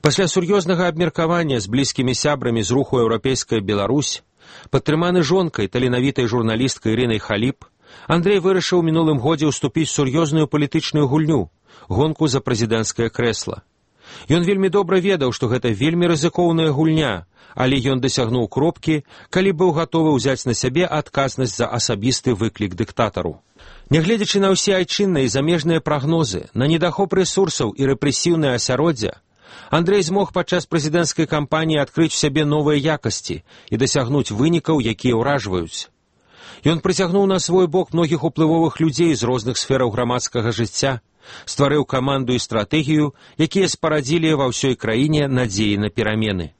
Пасля сур'ёзнага абмеркавання з блізкімі сябрамі з руху «Еўрапейская Беларусь», падтрыманы жонкай, таленавітай журналісткай Ірынай Халіп, Андрэй вырашыў у мінулым годзе ўступіць у сур'ёзную палітычную гульню, гонку за прэзідэнцкае крэсла. Ён вельмі добра ведаў, што гэта вельмі рызыкоўная гульня, але ён дасягнуў кропкі, калі быў гатовы ўзяць на сябе адказнасць за асабісты выклік дыктатару. Нягледзячы на ўсе айчынныя і замежныя прагнозы, на недахоп рэсурсаў і рэпрэсіўнае асяроддзе, Андрэй змог падчас прэзідэнцкай кампаніі адкрыць у сябе новыя якасці і дасягнуць вынікаў, якія ўражваюць. Ён прыцягнуў на свой бок многіх уплывовых людзей з розных сфераў грамадскага жыцця, стварыў каманду і стратэгію, якія спарадзілі ва ўсёй краіне надзеі на перамены.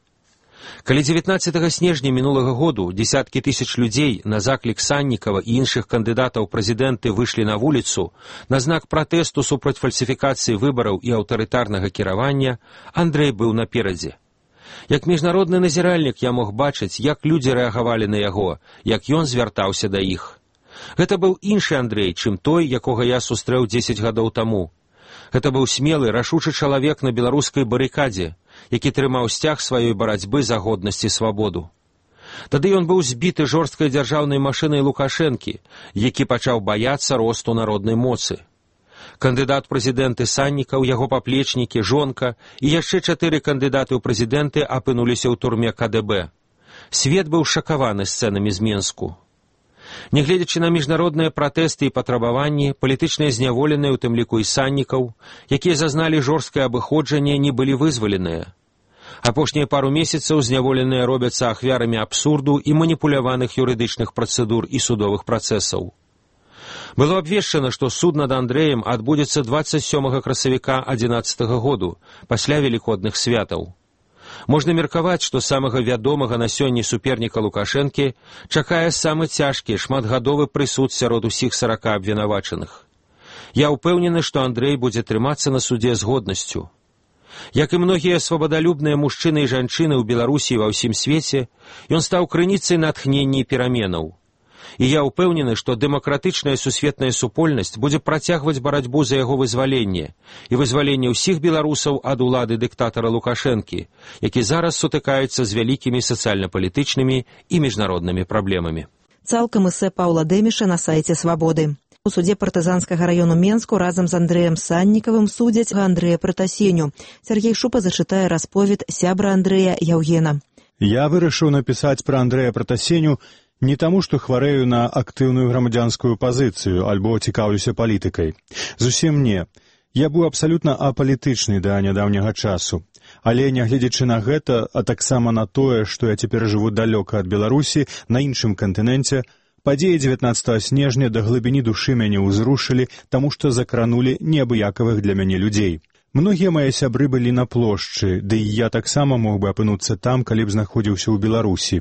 Калі 19 снежня мінулага году десяткі тысяч людзей на заклік Саннікава і іншых кандыдатаў прэзідэнты выйшлі на вуліцу на знак пратэсту супраць фальсіфікацыі выбараў і аўтарытарнага кіравання, Андрэй быў наперадзе. Як міжнародны назіральнік я мог бачыць, як людзі рэагавалі на яго, як ён звяртаўся да іх. Гэта быў іншы Андрэй, чым той, якога я сустрэў 10 гадоў таму. Гэта быў смелы, рашучы чалавек на беларускай барыкадзе, які трымаў сцяг сваёй барацьбы за годнасць і свабоду. Тады ён быў збіты жорсткай дзяржаўнай машынай Лукашэнкі, які пачаў баяцца росту народнай моцы. Кандыдат прэзідэнты Саннікаў, яго паплечнікі, жонка і яшчэ 4 кандыдаты ў прэзідэнты апынуліся ў турме КДБ. Свет быў шакаваны сцэнамі з Менску. Нягледзячы на міжнародныя пратэсты і патрабаванні, палітычныя зняволеныя, у тым ліку і Саннікаў, якія зазналі жорсткае абыходжанне, не былі вызваленыя. Апошнія пару месяцаў зняволеныя робяцца ахвярамі абсурду і маніпуляваных юрыдычных працэдур і судовых працэсаў. Было абвешчана, што суд над Андрэем адбудзецца 27 красавіка 2011 году, пасля велікодных святаў. Можна меркаваць, што самага вядомага на сёння суперніка Лукашэнкі чакае самы цяжкі, шматгадовы прысуд сярод усіх 40 абвінавачаных. Я ўпэўнены, што Андрэй будзе трымацца на судзе з годнасцю. Як і многія свабадалюбныя мужчыны і жанчыны ў Беларусі і ва ўсім свеце, ён стаў крыніцай натхнення і пераменаў. І я ўпэўнены, што дэмакратычная сусветная супольнасць будзе працягваць барацьбу за яго вызваленне і вызваленне ўсіх беларусаў ад улады дыктатара Лукашэнкі, які зараз сутыкаецца з вялікімі сацыяльна-палітычнымі і міжнароднымі праблемамі. Цалкам эсэ Паўла Дэміша на сайце «Свабоды». У судзе партызанскага раёну Менску разам з Андрэем Саннікавым судзяць Андрэя Пратасеню. Сергей Шупа зачытае расповед сябра Андрэя Яўгена. Я вырашыў напісаць пра Андрэя Пратасеню не таму, што хварэю на актыўную грамадзянскую пазіцыю альбо цікаўлюся палітыкай. Зусім не. Я быў абсалютна апалітычны да нядаўняга часу. Але, нягледзячы на гэта, а таксама на тое, што я цяпер жыву далёка ад Беларусі, на іншым кантыненце, падзеі 19 снежня да глыбіні душы мяне ўзрушылі, таму што закранулі неабыякавых для мяне людзей. Многія мае сябры былі на плошчы, ды і я таксама мог бы апынуцца там, калі б знаходзіўся ў Беларусі.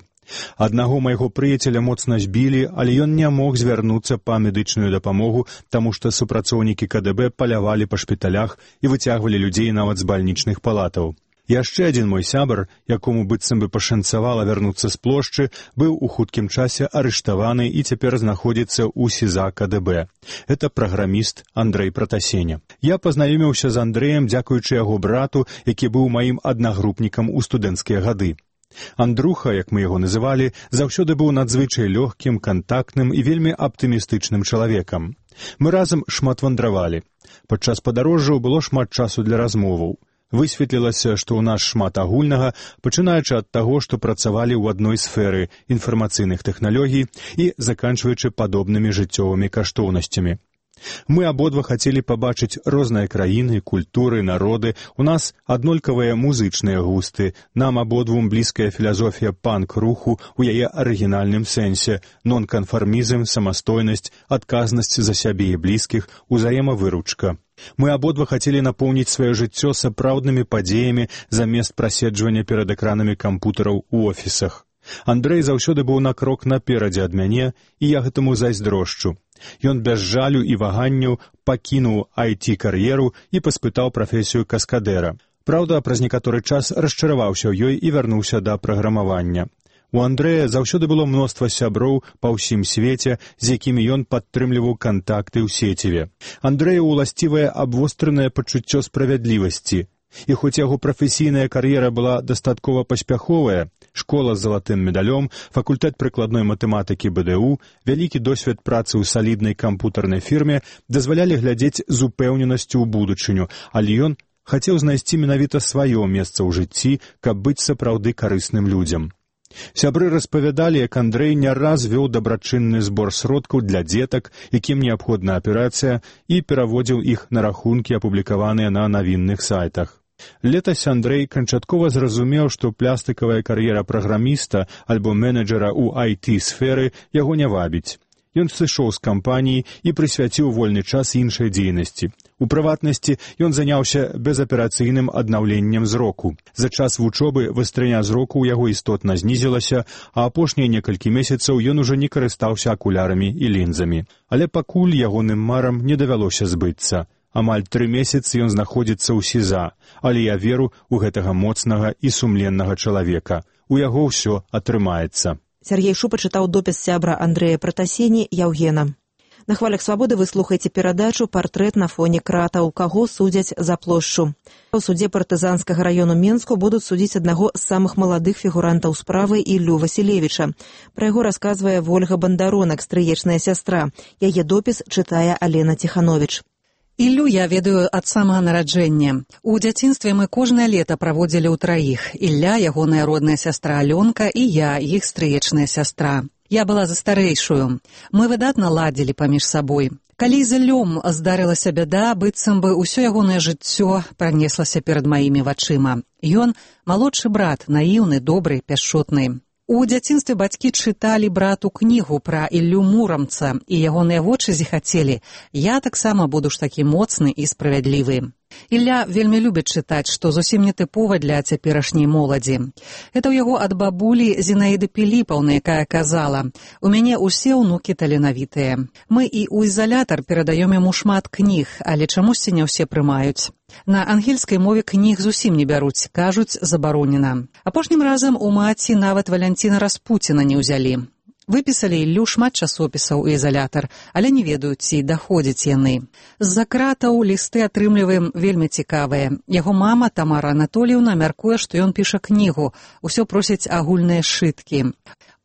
Аднаго майго прыяцеля моцна збілі, але ён не мог звярнуцца па медычную дапамогу, таму што супрацоўнікі КДБ палявалі па шпіталях і выцягвалі людзей нават з бальнічных палатаў. Яшчэ адзін мой сябар, якому быццам бы пашанцавала вярнуцца з плошчы, быў у хуткім часе арыштаваны і цяпер знаходзіцца ў СІЗА КДБ. Гэта праграміст Андрэй Пратасеня. Я пазнаёміўся з Андрэем дзякуючы яго брату, які быў маім аднагрупнікам у студэнцкія гады. Андруха, як мы яго называлі, заўсёды быў надзвычай лёгкім, кантактным і вельмі аптымістычным чалавекам. Мы разам шмат вандравалі. Падчас падарожжаў было шмат часу для размоваў. Высветлілася, што ў нас шмат агульнага, пачынаючы ад таго, што працавалі ў адной сферы інфармацыйных тэхналогій і заканчваючы падобнымі жыццёвымі каштоўнасцямі. Мы абодва хацелі пабачыць розныя краіны, культуры, народы. У нас аднолькавыя музычныя густы. Нам абодвум блізкая філасофія панк-руху ў яе арыгінальным сэнсе, нонканфармізм, самастойнасць, адказнасць за сябе і блізкіх, узаемавыручка. Мы абодва хацелі напоўніць сваё жыццё сапраўднымі падзеямі замест праседжвання перад экранамі кампутараў у офісах. Андрэй заўсёды быў на крок наперадзе ад мяне, і я гэтаму зайздрошчу. Ён без жалю і ваганняў пакінуў IT-кар'еру і паспытаў прафесію каскадэра. Праўда, праз некаторы час расчараваўся ў ёй і вярнуўся да праграмавання. У Андрэя заўсёды было мноства сяброў па ўсім свеце, з якімі ён падтрымліваў кантакты ў сеціве. Андрэю уласцівае абвостранае пачуццё справядлівасці. І хоць яго прафесійная кар'ера была дастаткова паспяховая, школа з залатым медалём, факультэт прыкладной матэматыкі БДУ, вялікі досвед працы ў саліднай кампутарнай фірме дазвалялі глядзець з упэўненасцю ў будучыню, але ён хацеў знайсці менавіта сваё месца ў жыцці, каб быць сапраўды карысным людзям. Сябры распавядалі, як Андрэй не раз вёў дабрачынны збор сродкаў для дзетак, якім неабходна аперацыя, і пераводзіў іх на рахункі, апублікаваныя на навінных сайтах. Летась Андрэй канчаткова зразумеў, што плястыкавая кар'ера праграміста альбо менеджера ў IT-сферы яго не вабіць. Ён сышоў з кампаніі і прысвяціў вольны час іншай дзейнасці. У прыватнасці ён заняўся безаперацыйным аднаўленнем зроку. За час вучобы вастрыня зроку ў яго істотна знізілася, а апошнія некалькі месяцаў ён ужо не карыстаўся акулярамі і лінзамі. Але пакуль ягоным марам не давялося збыцца. Амаль 3 месяцы ён знаходзіцца ў СІЗА, але я веру ў гэтага моцнага і сумленнага чалавека. У яго ўсё атрымаецца. Сергей Шупа чытаў допіс сябра Андрэя Пратасені Яўгена. На хвалях свабоды вы слухаеце перадачу «Партрэт на фоне кратаў. Каго судзяць за плошчу». У судзе партызанскага раёну Менску будуць судзіць аднаго з самых маладых фігурантаў справы Іллю Васілевіча. Пра яго расказвае Вольга Бандаронак, стрыечная сястра. Яе допіс чытае Алена Тиханович. Іллю я ведаю ад самага нараджэння. У дзяцінстве мы кожнае лета праводзілі ўтраіх. Ілля, ягоная родная сястра Алёнка, і я, іх стрыечная сястра. Я была за старэйшую. Мы выдатна ладзілі паміж сабой. Калі з Іллём здарылася бяда, быццам бы ўсё ягонае жыццё пранеслася перад маімі вачыма. Ён малодшы брат, наіўны, добры, пяшчотны. У дзяцінстве бацькі чыталі брату кнігу пра Іллю Мурамца, і ягоныя вочы зіхацелі. Я таксама буду ж такі моцны і справядлівы. Ілля вельмі любіць чытаць, што зусім не тыпова для цяперашняй моладзі. Гэта ў яго ад бабулі Зінаіды Піліпаўны, якая казала: «У мяне ўсе ўнукі таленавітыя. Мы і ў ізалятар перадаём яму шмат кніг, але чамусьці не ўсе прымаюць. На ангельскай мове кніг зусім не бяруць, кажуць, забаронена. Апошнім разам у маці нават Валянціна Распуціна не ўзялі. Выпісалі Іллю шмат часопісаў у ізалятар, але не ведаюць, ці даходзяць яны. З-за кратаў лісты атрымліваем вельмі цікавыя. Яго мама, Тамара Анатоліўна, мяркуе, што ён піша кнігу. Усё просяць агульныя сшыткі.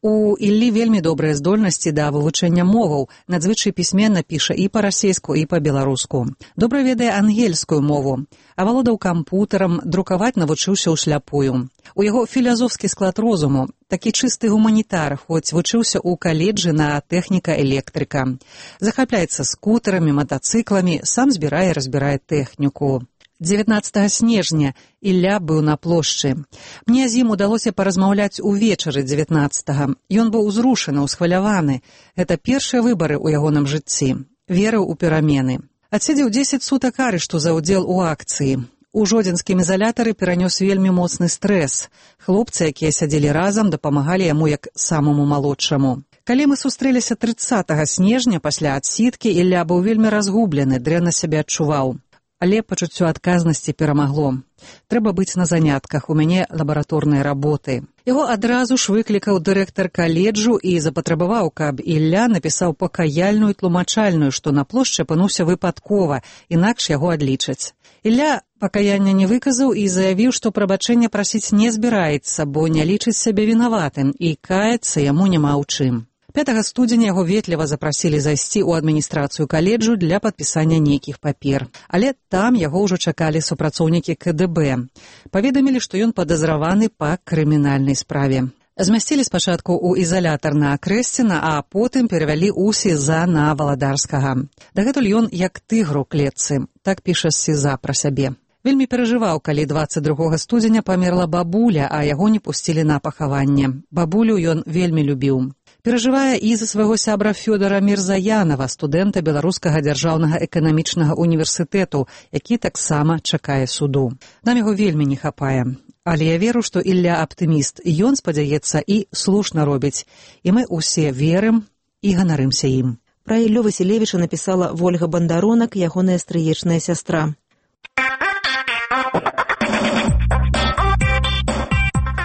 У Іллі вельмі добрыя здольнасці да вывучэння моваў, надзвычай пісьменна піша і па-расейску, і па-беларуску. Добра ведае ангельскую мову, авалодаў кампутарам, друкаваць навучыўся ўсляпую. У яго філазофскі склад розуму, такі чысты гуманітар, хоць вучыўся ў каледжы на тэхніка-электрыка. Захапляецца скутарамі, матацыкламі, сам збірае і разбірае тэхніку. 19 снежня Ілля быў на плошчы. Мне з ім удалося паразмаўляць увечары 19-го. Ён быў узрушаны, усхваляваны. Гэта першыя выбары ў ягоным жыцці. Верыў у перамены. Адседзеў 10 сутак арышту за ўдзел у акцыі. У жодзінскім ізалятары перанёс вельмі моцны стрэс. Хлопцы, якія сядзелі разам, дапамагалі яму як самому малодшаму. Калі мы сустрэліся 30 снежня пасля адсідкі, Ілля быў вельмі разгублены, дрэнна сябе адчуваў. Але пачуццё адказнасці перамагло. Трэба быць на занятках, у мяне лабараторныя работы. Яго адразу ж выклікаў дырэктар каледжу і запатрабаваў, каб Ілля напісаў пакаяльную тлумачальную, што на плошчы апынуўся выпадкова, інакш яго адлічаць. Ілля пакаяння не выказаў і заявіў, што прабачэння прасіць не збіраецца, бо не лічыць сябе вінаватым, і каяцца яму няма ў чым. 5 студзеня яго ветліва запрасілі зайсці ў адміністрацыю каледжу для падпісання нейкіх папер. Але там яго ўжо чакалі супрацоўнікі КДБ. Паведамілі, што ён падазраваны па крымінальнай справе. Змясцілі спачатку ў ізалятар на Крэсціна, а потым перавялі ў СІЗА на Валадарскага. Дагэтуль ён як тыгр у клетцы, так піша з СІЗА пра сябе. Вельмі перажываў, калі 22 студзеня памерла бабуля, а яго не пусцілі на пахаванне. Бабулю ён вельмі любіў. Перажывае і за свайго сябра Фёдора Мірзаянава, студэнта Беларускага дзяржаўнага эканамічнага універсітэту, які таксама чакае суду. Нам яго вельмі не хапае. Але я веру, што Ілля аптыміст, ён спадзяецца і слушна робіць. І мы ўсе верым і ганарымся ім. Пра Іллю Васілевіча напісала Вольга Бандаронак, ягоная стрыечная сястра.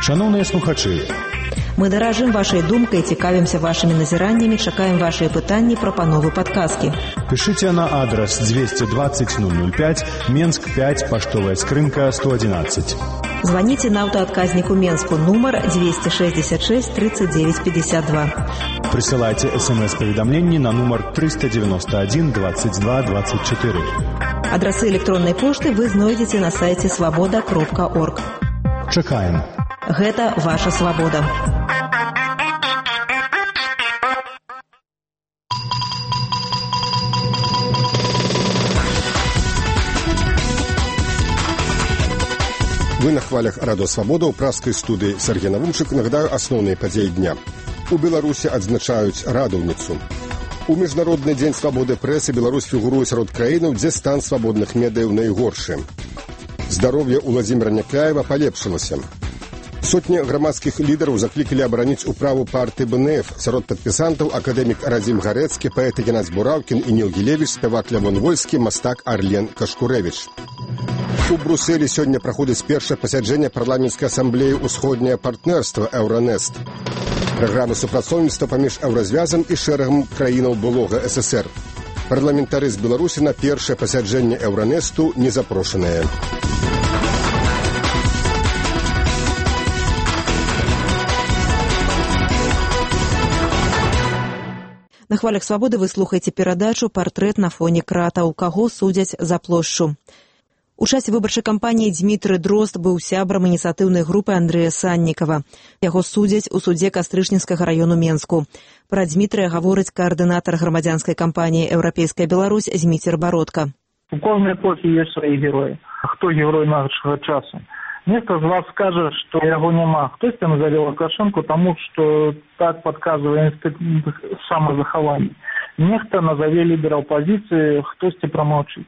Шановныя слухачы, мы даражым вашай думкай, цікавімся вашымі назіраннямі, чакаем вашыя пытанні, прапановы, падказкі. Пішыце на адрас 220 005, Менск 5, паштовая скрынка 111. Званіце на аўтаадказніку Менску, нумар 266 39 52. Прысылайце СМС-паведамленні на нумар 391 22 24. Адрасы электроннай пошты вы знойдзеце на сайце свабода.орг. Чакаем. Гэта ваша свабода. Вы на хвалях Радио Свобода ў праскай студыі Сергей Навумчык. Нагадаю асноўныя падзеі дня. У Беларусі адзначаюць радаўніцу. У Міжнародны дзень свабоды прэсы Беларусь фігуруе сярод краінаў, дзе стан свабодных медыяў найгоршы. Здароўе Уладзіміра Някляева палепшылася. Сотні грамадскіх лідараў заклікалі абараніць управу партыі БНФ. Сярод падпісантаў акадэмік Радзім Гарэцкі, паэт Геннадзь Бураўкін і Ніл Гілевіч, спявак Лявон Вольскі, мастак Арлен Кашкурэвіч. У Брусэлі сёння праходзіць першае пасяджэнне парламенцкай асамблеі «Усходняе партнерства» Еўранест. Праграма супрацоўніцтва паміж Еўразвязам і шэрагам краінаў былога СССР. Парламентары з Беларусі на першае пасяджэнне Еўранесту не запрошаныя. На хвалях свабоды вы слухаеце перадачу «Партрэт на фоне крата», у каго судзяць за плошчу. У часе выбарчай кампаніі Дзмітрый Дрозд быў сябрам ініцыятыўнай групы Андрэя Саннікава. Яго судзяць у судзе Кастрычніцкага раёну Менску. Пра Дзмітрыя гаворыць каардынатар грамадзянскай кампаніі «Еўрапейская Беларусь» Зміцер Бародка. У кожнай эпохі ёсць свае героі. Хто герой нашага часу? Нехта з вас скажа, што яго няма. Хтосьці назаве Лукашэнку, таму што так падказвае інстытут самазахавання. Нехта назаве лідара апазіцыі, хтосьці прамаўчыць.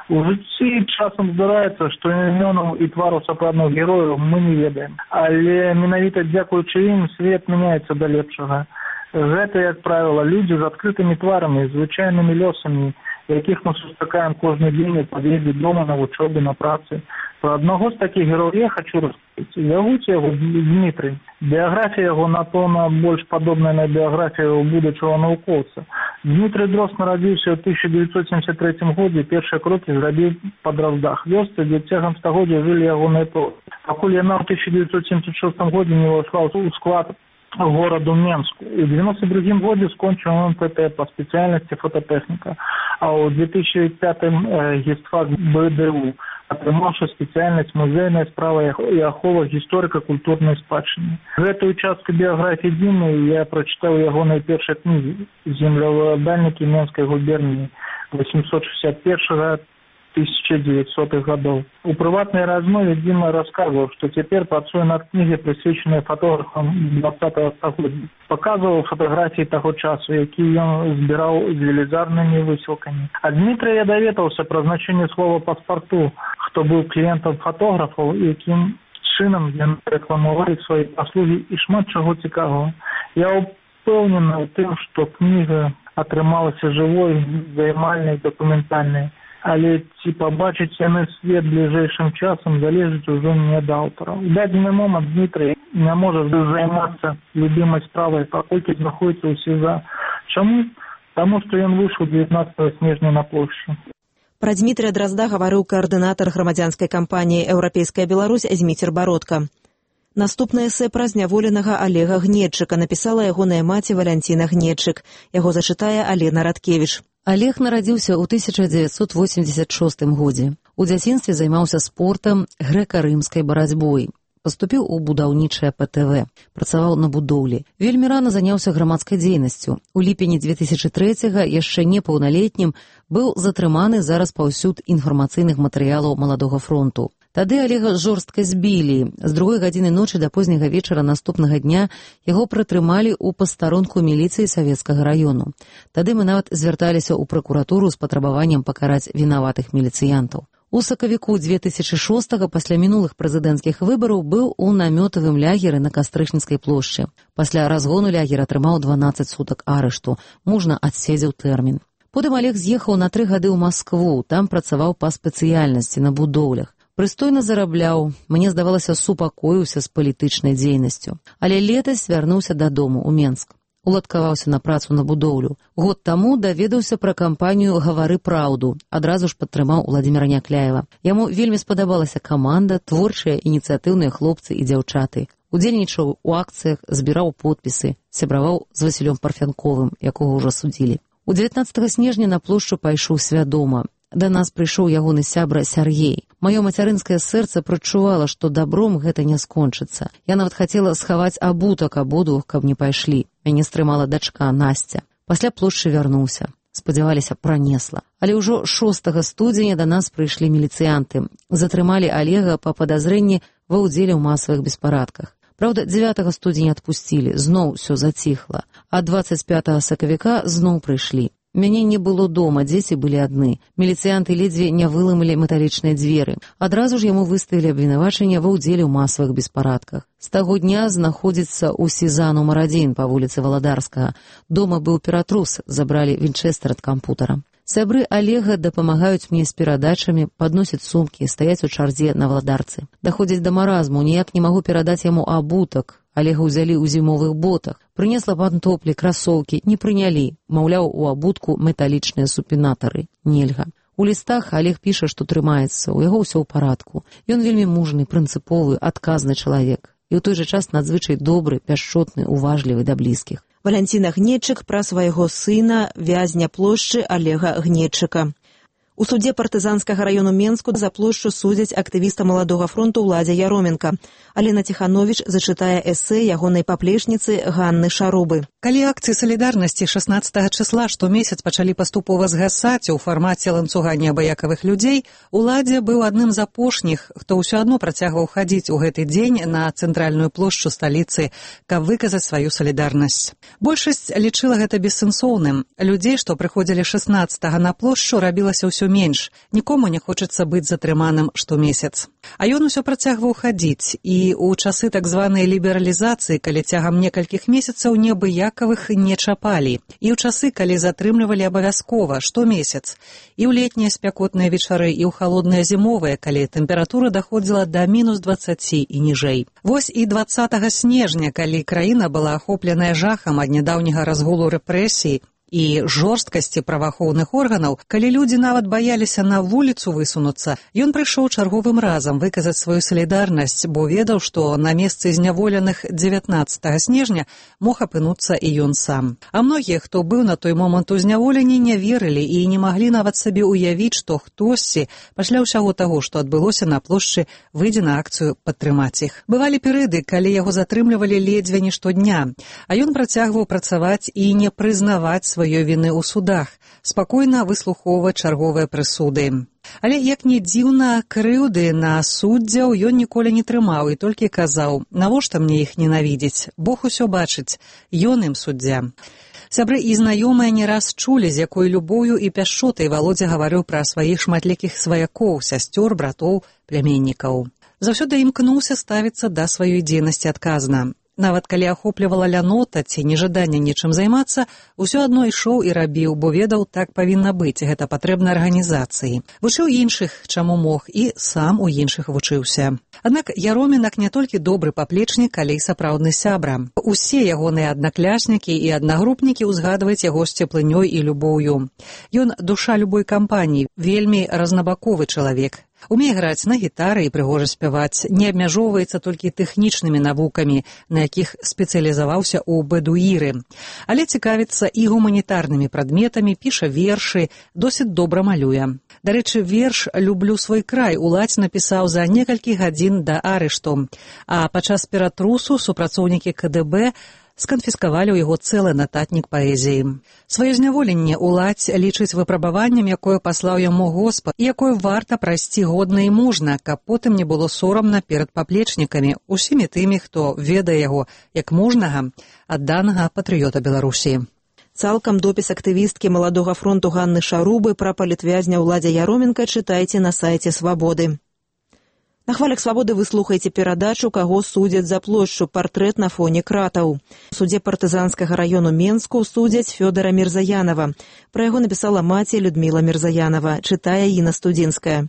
У жыцці часам здараецца, што імёнаў і твараў сапраўдных герояў мы не ведаем. Але менавіта дзякуючы ім свет мяняецца да лепшага. Гэта, як правіла, людзі з адкрытымі тварамі, звычайнымі лёсамі, якіх мы сустракаем кожны дзень у пад'ездзе дома, на вучобе, на працы. Про аднаго з такіх герояў я хочу распавядаць. Зовуць яго Дмітрый. Біяграфія яго, напэўна, больш падобная на біяграфію будучага навукоўца. Дмітрый Дрозд нарадзіўся ў 1973 годзе, першыя крокі зрабіў па Дроздах, вёсцы, дзе цягам стагоддзя жылі ягоныя продкі. Пакуль яна ў 1976 годзе не ўвайшла ў склад гораду Менску. У 1992 годзе скончыў МПТ па спецыяльнасці фототэхніка, а ў 2005 гістфак БДУ, атрымаўшы спецыяльнасць музейная справа і ахова гісторыка-культурнай спадчыны. Гэтую частку біяграфіі Дзімы я прачытаў ягонай першай кнігі «Землеўладальнікі Менскай губерніі» 861-1900 гадоў. У прыватнай размове Дзіма расказваў, што цяпер працуе над кнігай, прысвечанай фотографам 20-го стагоддзя. Паказваў фатаграфіі таго часу, якія ён збіраў з велізарнымі высілкамі. Ад Дмітрыя я даведаўся пра значэнне слова «паспарту», хто быў кліентам фотографаў, якім чынам яны рэкламавалі свае паслугі і шмат чаго цікавага. Я упэўнены ў тым, што кніга атрымалася жывой, займальнай, дакументальнай. Але ці пабачыць яны свет бліжэйшым часам залежыць ужо не ад аўтара. У дадзены момант Дмітрый не можа займацца любімай справай, паколькі знаходзіцца ў СІЗА. Чаму? Таму што ён выйшаў 19 снежня на плошчу. Пра Дзмітрыя Дрозда гаварыў каардынатар грамадзянскай кампаніі «Еўрапейская Беларусь» Зміцер Бародка. Наступнае эсэ пра зняволенага Алега Гнедчыка напісала ягоная маці Валянціна Гнедчык. Яго зачытае Алена Радкевіч. Алег нарадзіўся ў 1986 годзе. У дзяцінстве займаўся спортам, грэка-рымскай барацьбой. Паступіў у будаўнічае ПТВ. Працаваў на будоўлі. Вельмі рана заняўся грамадскай дзейнасцю. У ліпені 2003-га, яшчэ непаўналетнім, быў затрыманы за распаўсюд інфармацыйных матэрыялаў Маладога фронту. Тады Алега жорстка збілі. З 2 гадзіны ночы да позняга вечара наступнага дня яго прытрымалі ў пастарунку міліцыі савецкага раёну. Тады мы нават звярталіся ў пракуратуру з патрабаваннем пакараць вінаватых міліцыянтаў. У сакавіку 2006-го пасля мінулых прэзідэнцкіх выбараў быў у намётавым лягеры на Кастрычніцкай плошчы. Пасля разгону лягер атрымаў 12 сутак арышту. Мужна адседзеў тэрмін. Потым Алег з'ехаў на 3 гады ў Маскву, там працаваў па спецыяльнасці на будоўлях. Прыстойна зарабляў, мне здавалася, супакоіўся з палітычнай дзейнасцю. Але летась вярнуўся дадому ў Менск. Уладкаваўся на працу на будоўлю. Год таму даведаўся пра кампанію «Гавары праўду». Адразу ж падтрымаў Уладзіміра Някляева. Яму вельмі спадабалася каманда, творчыя, ініцыятыўныя хлопцы і дзяўчаты. Удзельнічаў у акцыях, збіраў подпісы, сябраваў з Васілём Парфянковым, якога ўжо судзілі. У 19 снежня на плошчу пайшоў свядома. Да нас прыйшоў ягоны сябра Сяргей. Маё мацярынскае сэрца прачувала, што добром гэта не скончыцца. Я нават хацела схаваць абутак абодвух, каб не пайшлі. Мяне стрымала дачка Насця. Пасля плошчы вярнуўся. Спадзяваліся, пранесла. Але ўжо 6 студзеня да нас прыйшлі міліцыянты. Затрымалі Алега па падазрэнні ва ўдзеле ў масавых беспарадках. Праўда, 9 студзеня адпусцілі, зноў усё заціхла. А 25 сакавіка зноў прыйшлі. Мяне не было дома, дзеці былі адны. Міліцыянты ледзьве не выламалі металічныя дзверы. Адразу ж яму выставілі абвінавачанне ва ўдзеле ў масавых беспарадках. З таго дня знаходзіцца ў СІЗА нумар 1 па вуліцы Валадарскага. Дома быў ператрус, забралі вінчэстэр ад кампутара. Сябры Алега дапамагаюць мне з перадачамі, падносяць сумкі, стаяць у чарзе на Валадарцы. Даходзяць да маразму, ніяк не магу перадаць яму абутак. Алега ўзялі ў зімовых ботах. Прынесла пантоплі, красоўкі, не прынялі. Маўляў, у абутку металічныя супінатары. Нельга. У лістах Алег піша, што трымаецца, у яго ўсё ў парадку. Ён вельмі мужны, прынцыповы, адказны чалавек. І ў той жа час надзвычай добры, пяшчотны, уважлівы да блізкіх. Валянціна Гнедчык пра свайго сына, вязня плошчы Алега Гнедчыка. У судзе партызанскага раёну Менску за плошчу судзяць актывіста Маладога фронту Уладзя Яроменка. Алена Ціхановіч зачытае эсэ ягонай паплечніцы Ганны Шарубы. Калі акцыі салідарнасці 16 числа штомесяц пачалі паступова згасаць у фармаце ланцуга неабыякавых людзей, Уладзя быў адным з апошніх, хто ўсё адно працягваў хадзіць у гэты дзень на цэнтральную плошчу сталіцы, каб выказаць сваю салідарнасць. Большасць лічыла гэта бессэнсоўным. Людзей, што прыходзілі 16 на плошчу, рабілася ўсё менш. Нікому не хочацца быць затрыманым штомесяц. А ён усё працягваў хадзіць, і ў часы так званай лібералізацыі, калі цягам некалькіх месяцаў неабыякавых не чапалі, і ў часы, калі затрымлівалі абавязкова штомесяц, і ў летнія спякотныя вечары, і ў халодныя зімовыя, калі тэмпература даходзіла да -20 і ніжэй. Вось і 20 снежня, калі краіна была ахопленая жахам ад нядаўняга разгулу рэпрэсій і жорсткасці праваахоўных органаў, калі людзі нават баяліся на вуліцу высунуцца, ён прыйшоў чарговым разам выказаць сваю салідарнасць, бо ведаў, што на месцы зняволеных 19 снежня мог апынуцца і ён сам. А многія, хто быў на той момант у зняволенні, не верылі і не маглі нават сабе ўявіць, што хтосьці пасля ўсяго таго, што адбылося на плошчы, выйдзе на акцыю падтрымаць іх. Бывалі перыяды, калі яго затрымлівалі ледзьве не штодня, а ён працягваў працаваць і не прызнаваць сваёй віны ў судах, спакойна выслухоўваць чарговыя прысуды. Але, як не дзіўна, крыўды на суддзяў ён ніколі не трымаў і толькі казаў: «Навошта мне іх ненавідзець? Бог усё бачыць, ён ім суддзя». Сябры і знаёмыя не раз чулі, з якой любоўю і пяшчотай Валодзя гаварыў пра сваіх шматлікіх сваякоў, сясцёр, братоў, пляменнікаў. Заўсёды імкнуўся ставіцца да сваёй дзейнасці адказна. Нават калі ахоплівала лянота ці нежаданне нечым займацца, усё адно ішоў і рабіў, бо ведаў, так павінна быць, гэта патрэбна арганізацыі. Вучыў іншых, чаму мог, і сам у іншых вучыўся. Аднак Яроменак не толькі добры паплечнік, але і сапраўдны сябра. Усе ягоныя аднакляснікі і аднагрупнікі ўзгадваюць яго з цеплынёй і любоўю. Ён душа любой кампаніі, вельмі разнабаковы чалавек. Умее граць на гітары і прыгожа спяваць, не абмяжоўваецца толькі тэхнічнымі навукамі, на якіх спецыялізаваўся ў бэдуіры, але цікавіцца і гуманітарнымі прадметамі, піша вершы, досыць добра малюе. Дарэчы, верш «Люблю свой край» Уладзь напісаў за некалькі гадзін да арышту, а падчас ператрусу супрацоўнікі КДБ сканфіскавалі ў яго цэлы нататнік паэзіі. Сваё зняволенне ўладзь лічыць выпрабаваннем, якое паслаў яму Господ, і якое варта прайсці годна і мужна, каб потым не было сорамна перад паплечнікамі, усімі тымі, хто ведае яго як мужнага, адданага патрыёта Беларусі. Цалкам допіс актывісткі Маладога фронту Ганны Шарубы пра палітвязня Уладзя Яроменка чытайце на сайце «Свабоды». На хвалях «Свабоды» вы слухаеце перадачу «Каго судзяць за плошчу. Партрэт на фоне кратаў». У судзе партызанскага раёну Менску судзяць Фёдара Мірзаянова. Пра яго напісала маці Людміла Мірзаянова. Чытае Інна Студзінская.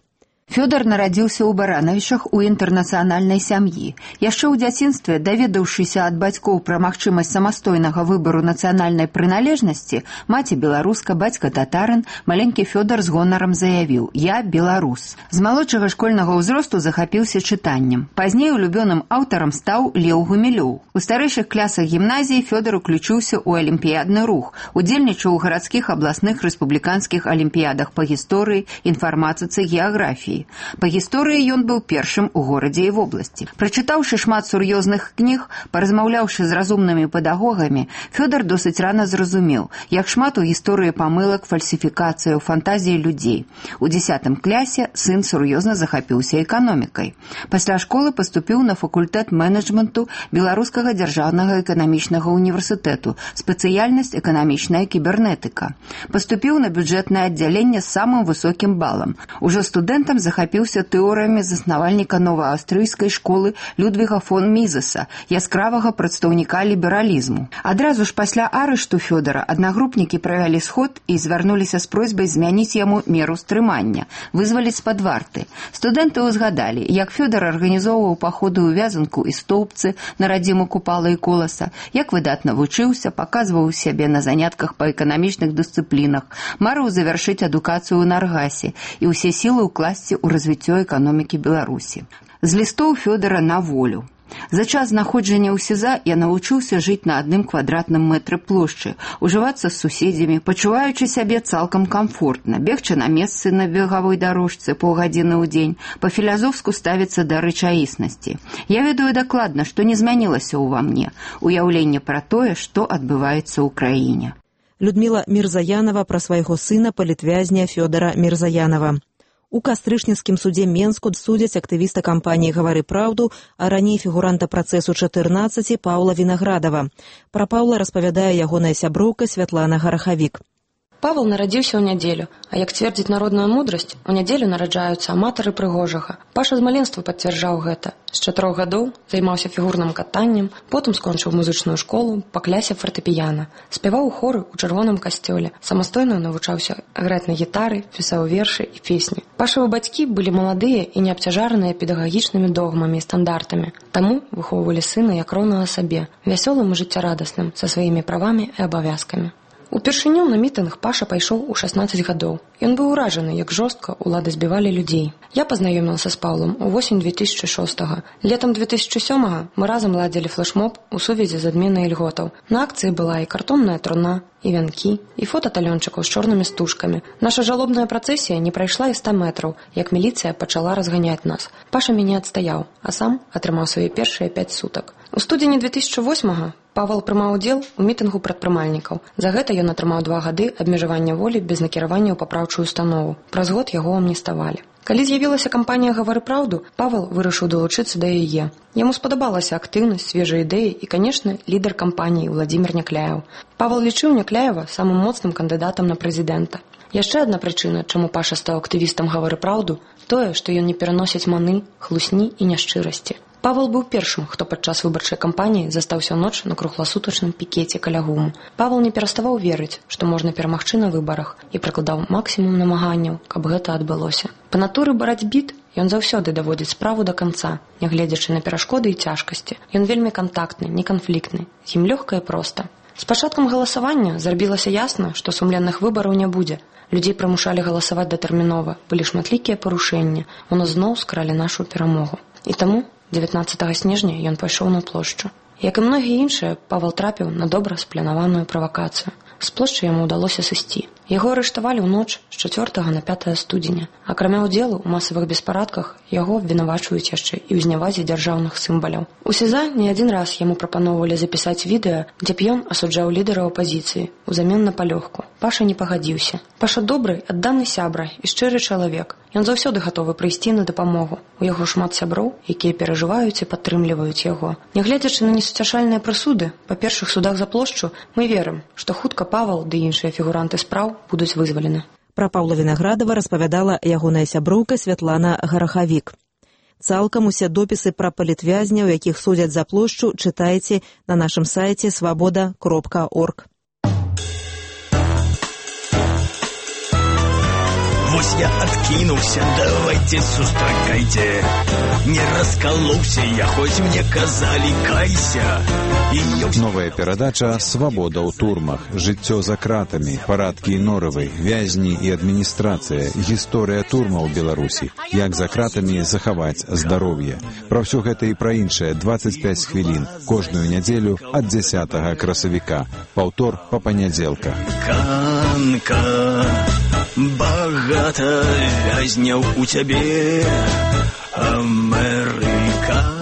Фёдор нарадзіўся ў Баранавічах у інтэрнацыянальнай сям'і. Яшчэ ў дзяцінстве, даведаўшыся ад бацькоў пра магчымасць самастойнага выбару нацыянальнай прыналежнасці, маці беларуска, бацька татарын, маленькі Фёдор з гонарам заявіў: «Я беларус». З малодшага школьнага ўзросту захапіўся чытаннем. Пазней улюбёным аўтарам стаў Леў Гумілёў. У старэйшых класах гімназіі Фёдор уключыўся ў алімпіядны рух, удзельнічаў у гарадскіх, абласных, рэспубліканскіх алімпіядах па гісторыі, інфарматыцы, геаграфіі. Па гісторыі ён быў першым у горадзе і вобласці. Прачытаўшы шмат сур'ёзных кніг, паразмаўляўшы з разумнымі педагогамі, Фёдор досыць рана зразумеў, як шмат у гісторыі памылак, фальсіфікацыяў, фантазіі людзей. У 10 класе сын сур'ёзна захапіўся эканомікай. Пасля школы паступіў на факультэт менеджменту Беларускага дзяржаўнага эканамічнага універсітэту, спецыяльнасць эканамічная кібернетыка. Паступіў на бюджэтнае аддзяленне з самым высокім балам. Ужо студэнтам захапіўся тэорыямі заснавальніка новааўстрыйскай школы Людвіга фон Мізеса, яскравага прадстаўніка лібералізму. Адразу ж пасля арышту Фёдора аднагрупнікі правялі сход і звярнуліся з просьбай змяніць яму меру стрымання, вызваліць з-пад варты. Студэнты ўзгадалі, як Фёдор арганізоўваў паходы ў Вязанку і Стоўбцы на радзіму Купала і Коласа, як выдатна вучыўся, паказваў сябе на занятках па эканамічных дысцыплінах, марыў завяршыць адукацыю ў Наргасе і ўсе сілы ўкласці ў развіццё эканомікі Беларусі. З лістоў Фёдора на волю. За час знаходжання ў СІЗА я навучыўся жыць на 1 квадратным мэтры плошчы, ужывацца з суседзямі, пачуваючы сябе цалкам камфортна, бегчы на месцы на бегавой дарожцы паўгадзіны ў дзень, па-філазофску ставіцца да рэчаіснасці. Я ведаю дакладна, што не змянілася ўва мне, уяўленне пра тое, што адбываецца ў краіне. Людміла Мірзаянова пра свайго сына палітвязня Фёдара Мірзаянова. У кастрычніцкім судзе Менску судзяць актывіста кампаніі «Гавары праўду», а раней фігуранта працэсу 14 Паўла Вінаградава. Пра Паўла распавядае ягоная сяброўка Святлана Гарахавік. Павел нарадзіўся ў нядзелю, а як цвердзіць народная мудрасць, у нядзелю нараджаюцца аматары прыгожага. Паша з маленства пацвярджаў гэта. З 4 гадоў займаўся фігурным катаннем, потым скончыў музычную школу па клясе фартэпіяна. Спяваў у хоры ў чырвоным касцёле, самастойна навучаўся граць на гітары, пісаў вершы і песні. Пашавы бацькі былі маладыя і не абцяжараныя педагагічнымі догмамі і стандартамі. Таму выхоўвалі сына як роўнага сабе, вясёлым і жыццярадасным, са сваімі правамі і абавязкамі. Упершыню на мітынг Паша пайшоў у 16 гадоў. Ён быў уражаны, як жорстка ўлады збівалі людзей. Я пазнаёмілася з Паўлам у восень 2006-го. Летам 2007-го мы разам ладзілі флешмоб у сувязі з адменай ільготаў. На акцыі была і картонная труна, і вянкі, і фота талёнчыкаў з чорнымі стужкамі. Наша жалобная працэсія не прайшла і 100 метраў, як міліцыя пачала разганяць нас. Паша мяне адстаяў, а сам атрымаў свае першыя 5 сутак. У студзені 2008-го Павел прымаў удзел у мітынгу прадпрымальнікаў. За гэта ён атрымаў 2 гады абмежавання волі без накіравання ў папраўчую установу. Праз год яго амніставалі. Калі з'явілася кампанія «Гавары праўду», Павел вырашыў далучыцца да яе. Яму спадабалася актыўнасць, свежыя ідэі і, канешне, лідар кампаніі Владзімір Някляеў. Павел лічыў Някляева самым моцным кандыдатам на прэзідэнта. Яшчэ адна прычына, чаму Паша стаў актывістам «Гавары праўду», тое, што ён не пераносіць маны, хлусні і няшчырасці. Павел быў першым, хто падчас выбарчай кампаніі застаўся ноч на кругласутачным пікеце каля ГУМу. Павел не пераставаў верыць, што можна перамагчы на выбарах і прыкладаў максімум намаганняў, каб гэта адбылося. Па натуры барацьбіт ён заўсёды даводзіць справу да канца, нягледзячы на перашкоды і цяжкасці. Ён вельмі кантактны, неканфліктны, з ім лёгка і проста. З пачаткам галасавання зрабілася ясна, што сумленных выбараў не будзе. Людзей прымушалі галасаваць датэрмінова, былі шматлікія парушэнні, у нас зноў скралі нашу перамогу. І таму 19 снежня ён пайшоў на плошчу. Як і многія іншыя, Павел трапіў на добра спланаваную правакацыю. З плошчы яму ўдалося сысці. Яго арыштавалі ў ноч з 4 на 5 студзеня. Акрамя ўдзелу ў масавых беспарадках, яго абвінавачваюць яшчэ і ў знявазе дзяржаўных сімваляў. У СІЗА не адзін раз яму прапаноўвалі запісаць відэа, дзе б ён асуджаў лідара апазіцыі узамен на палёгку. Паша не пагадзіўся. Паша добры, адданы сябра і шчыры чалавек. Ён заўсёды гатовы прыйсці на дапамогу. У яго шмат сяброў, якія перажываюць і падтрымліваюць яго. Нягледзячы на несуцяшальныя прысуды, па першых судах за плошчу, мы верым, што хутка Павал ды іншыя фігуранты спраў будуць вызвалены. Пра Паўла Вінаградава распавядала ягоная сяброўка Святлана Гарахавік. Цалкам усе допісы пра палітвязняў, якіх судзяць за плошчу, чытайце на нашым сайце свабода.орг. Вось я адкінуўся, давайте сустракайце. Не раскалоўся я, хоць мне казалі кайся. Новая перадача «Свабода ў турмах», жыццё за кратамі, парадкі Норавай, вязні і адміністрацыя, гісторыя турмаў у Беларусі, як за кратамі захаваць здароўе. Пра ўсё гэта і пра іншае 25 хвілін, кожную нядзелю ад 10 красавіка, паўтор па панядзелках. Канка, багата вязняў у цябе, Амерыка.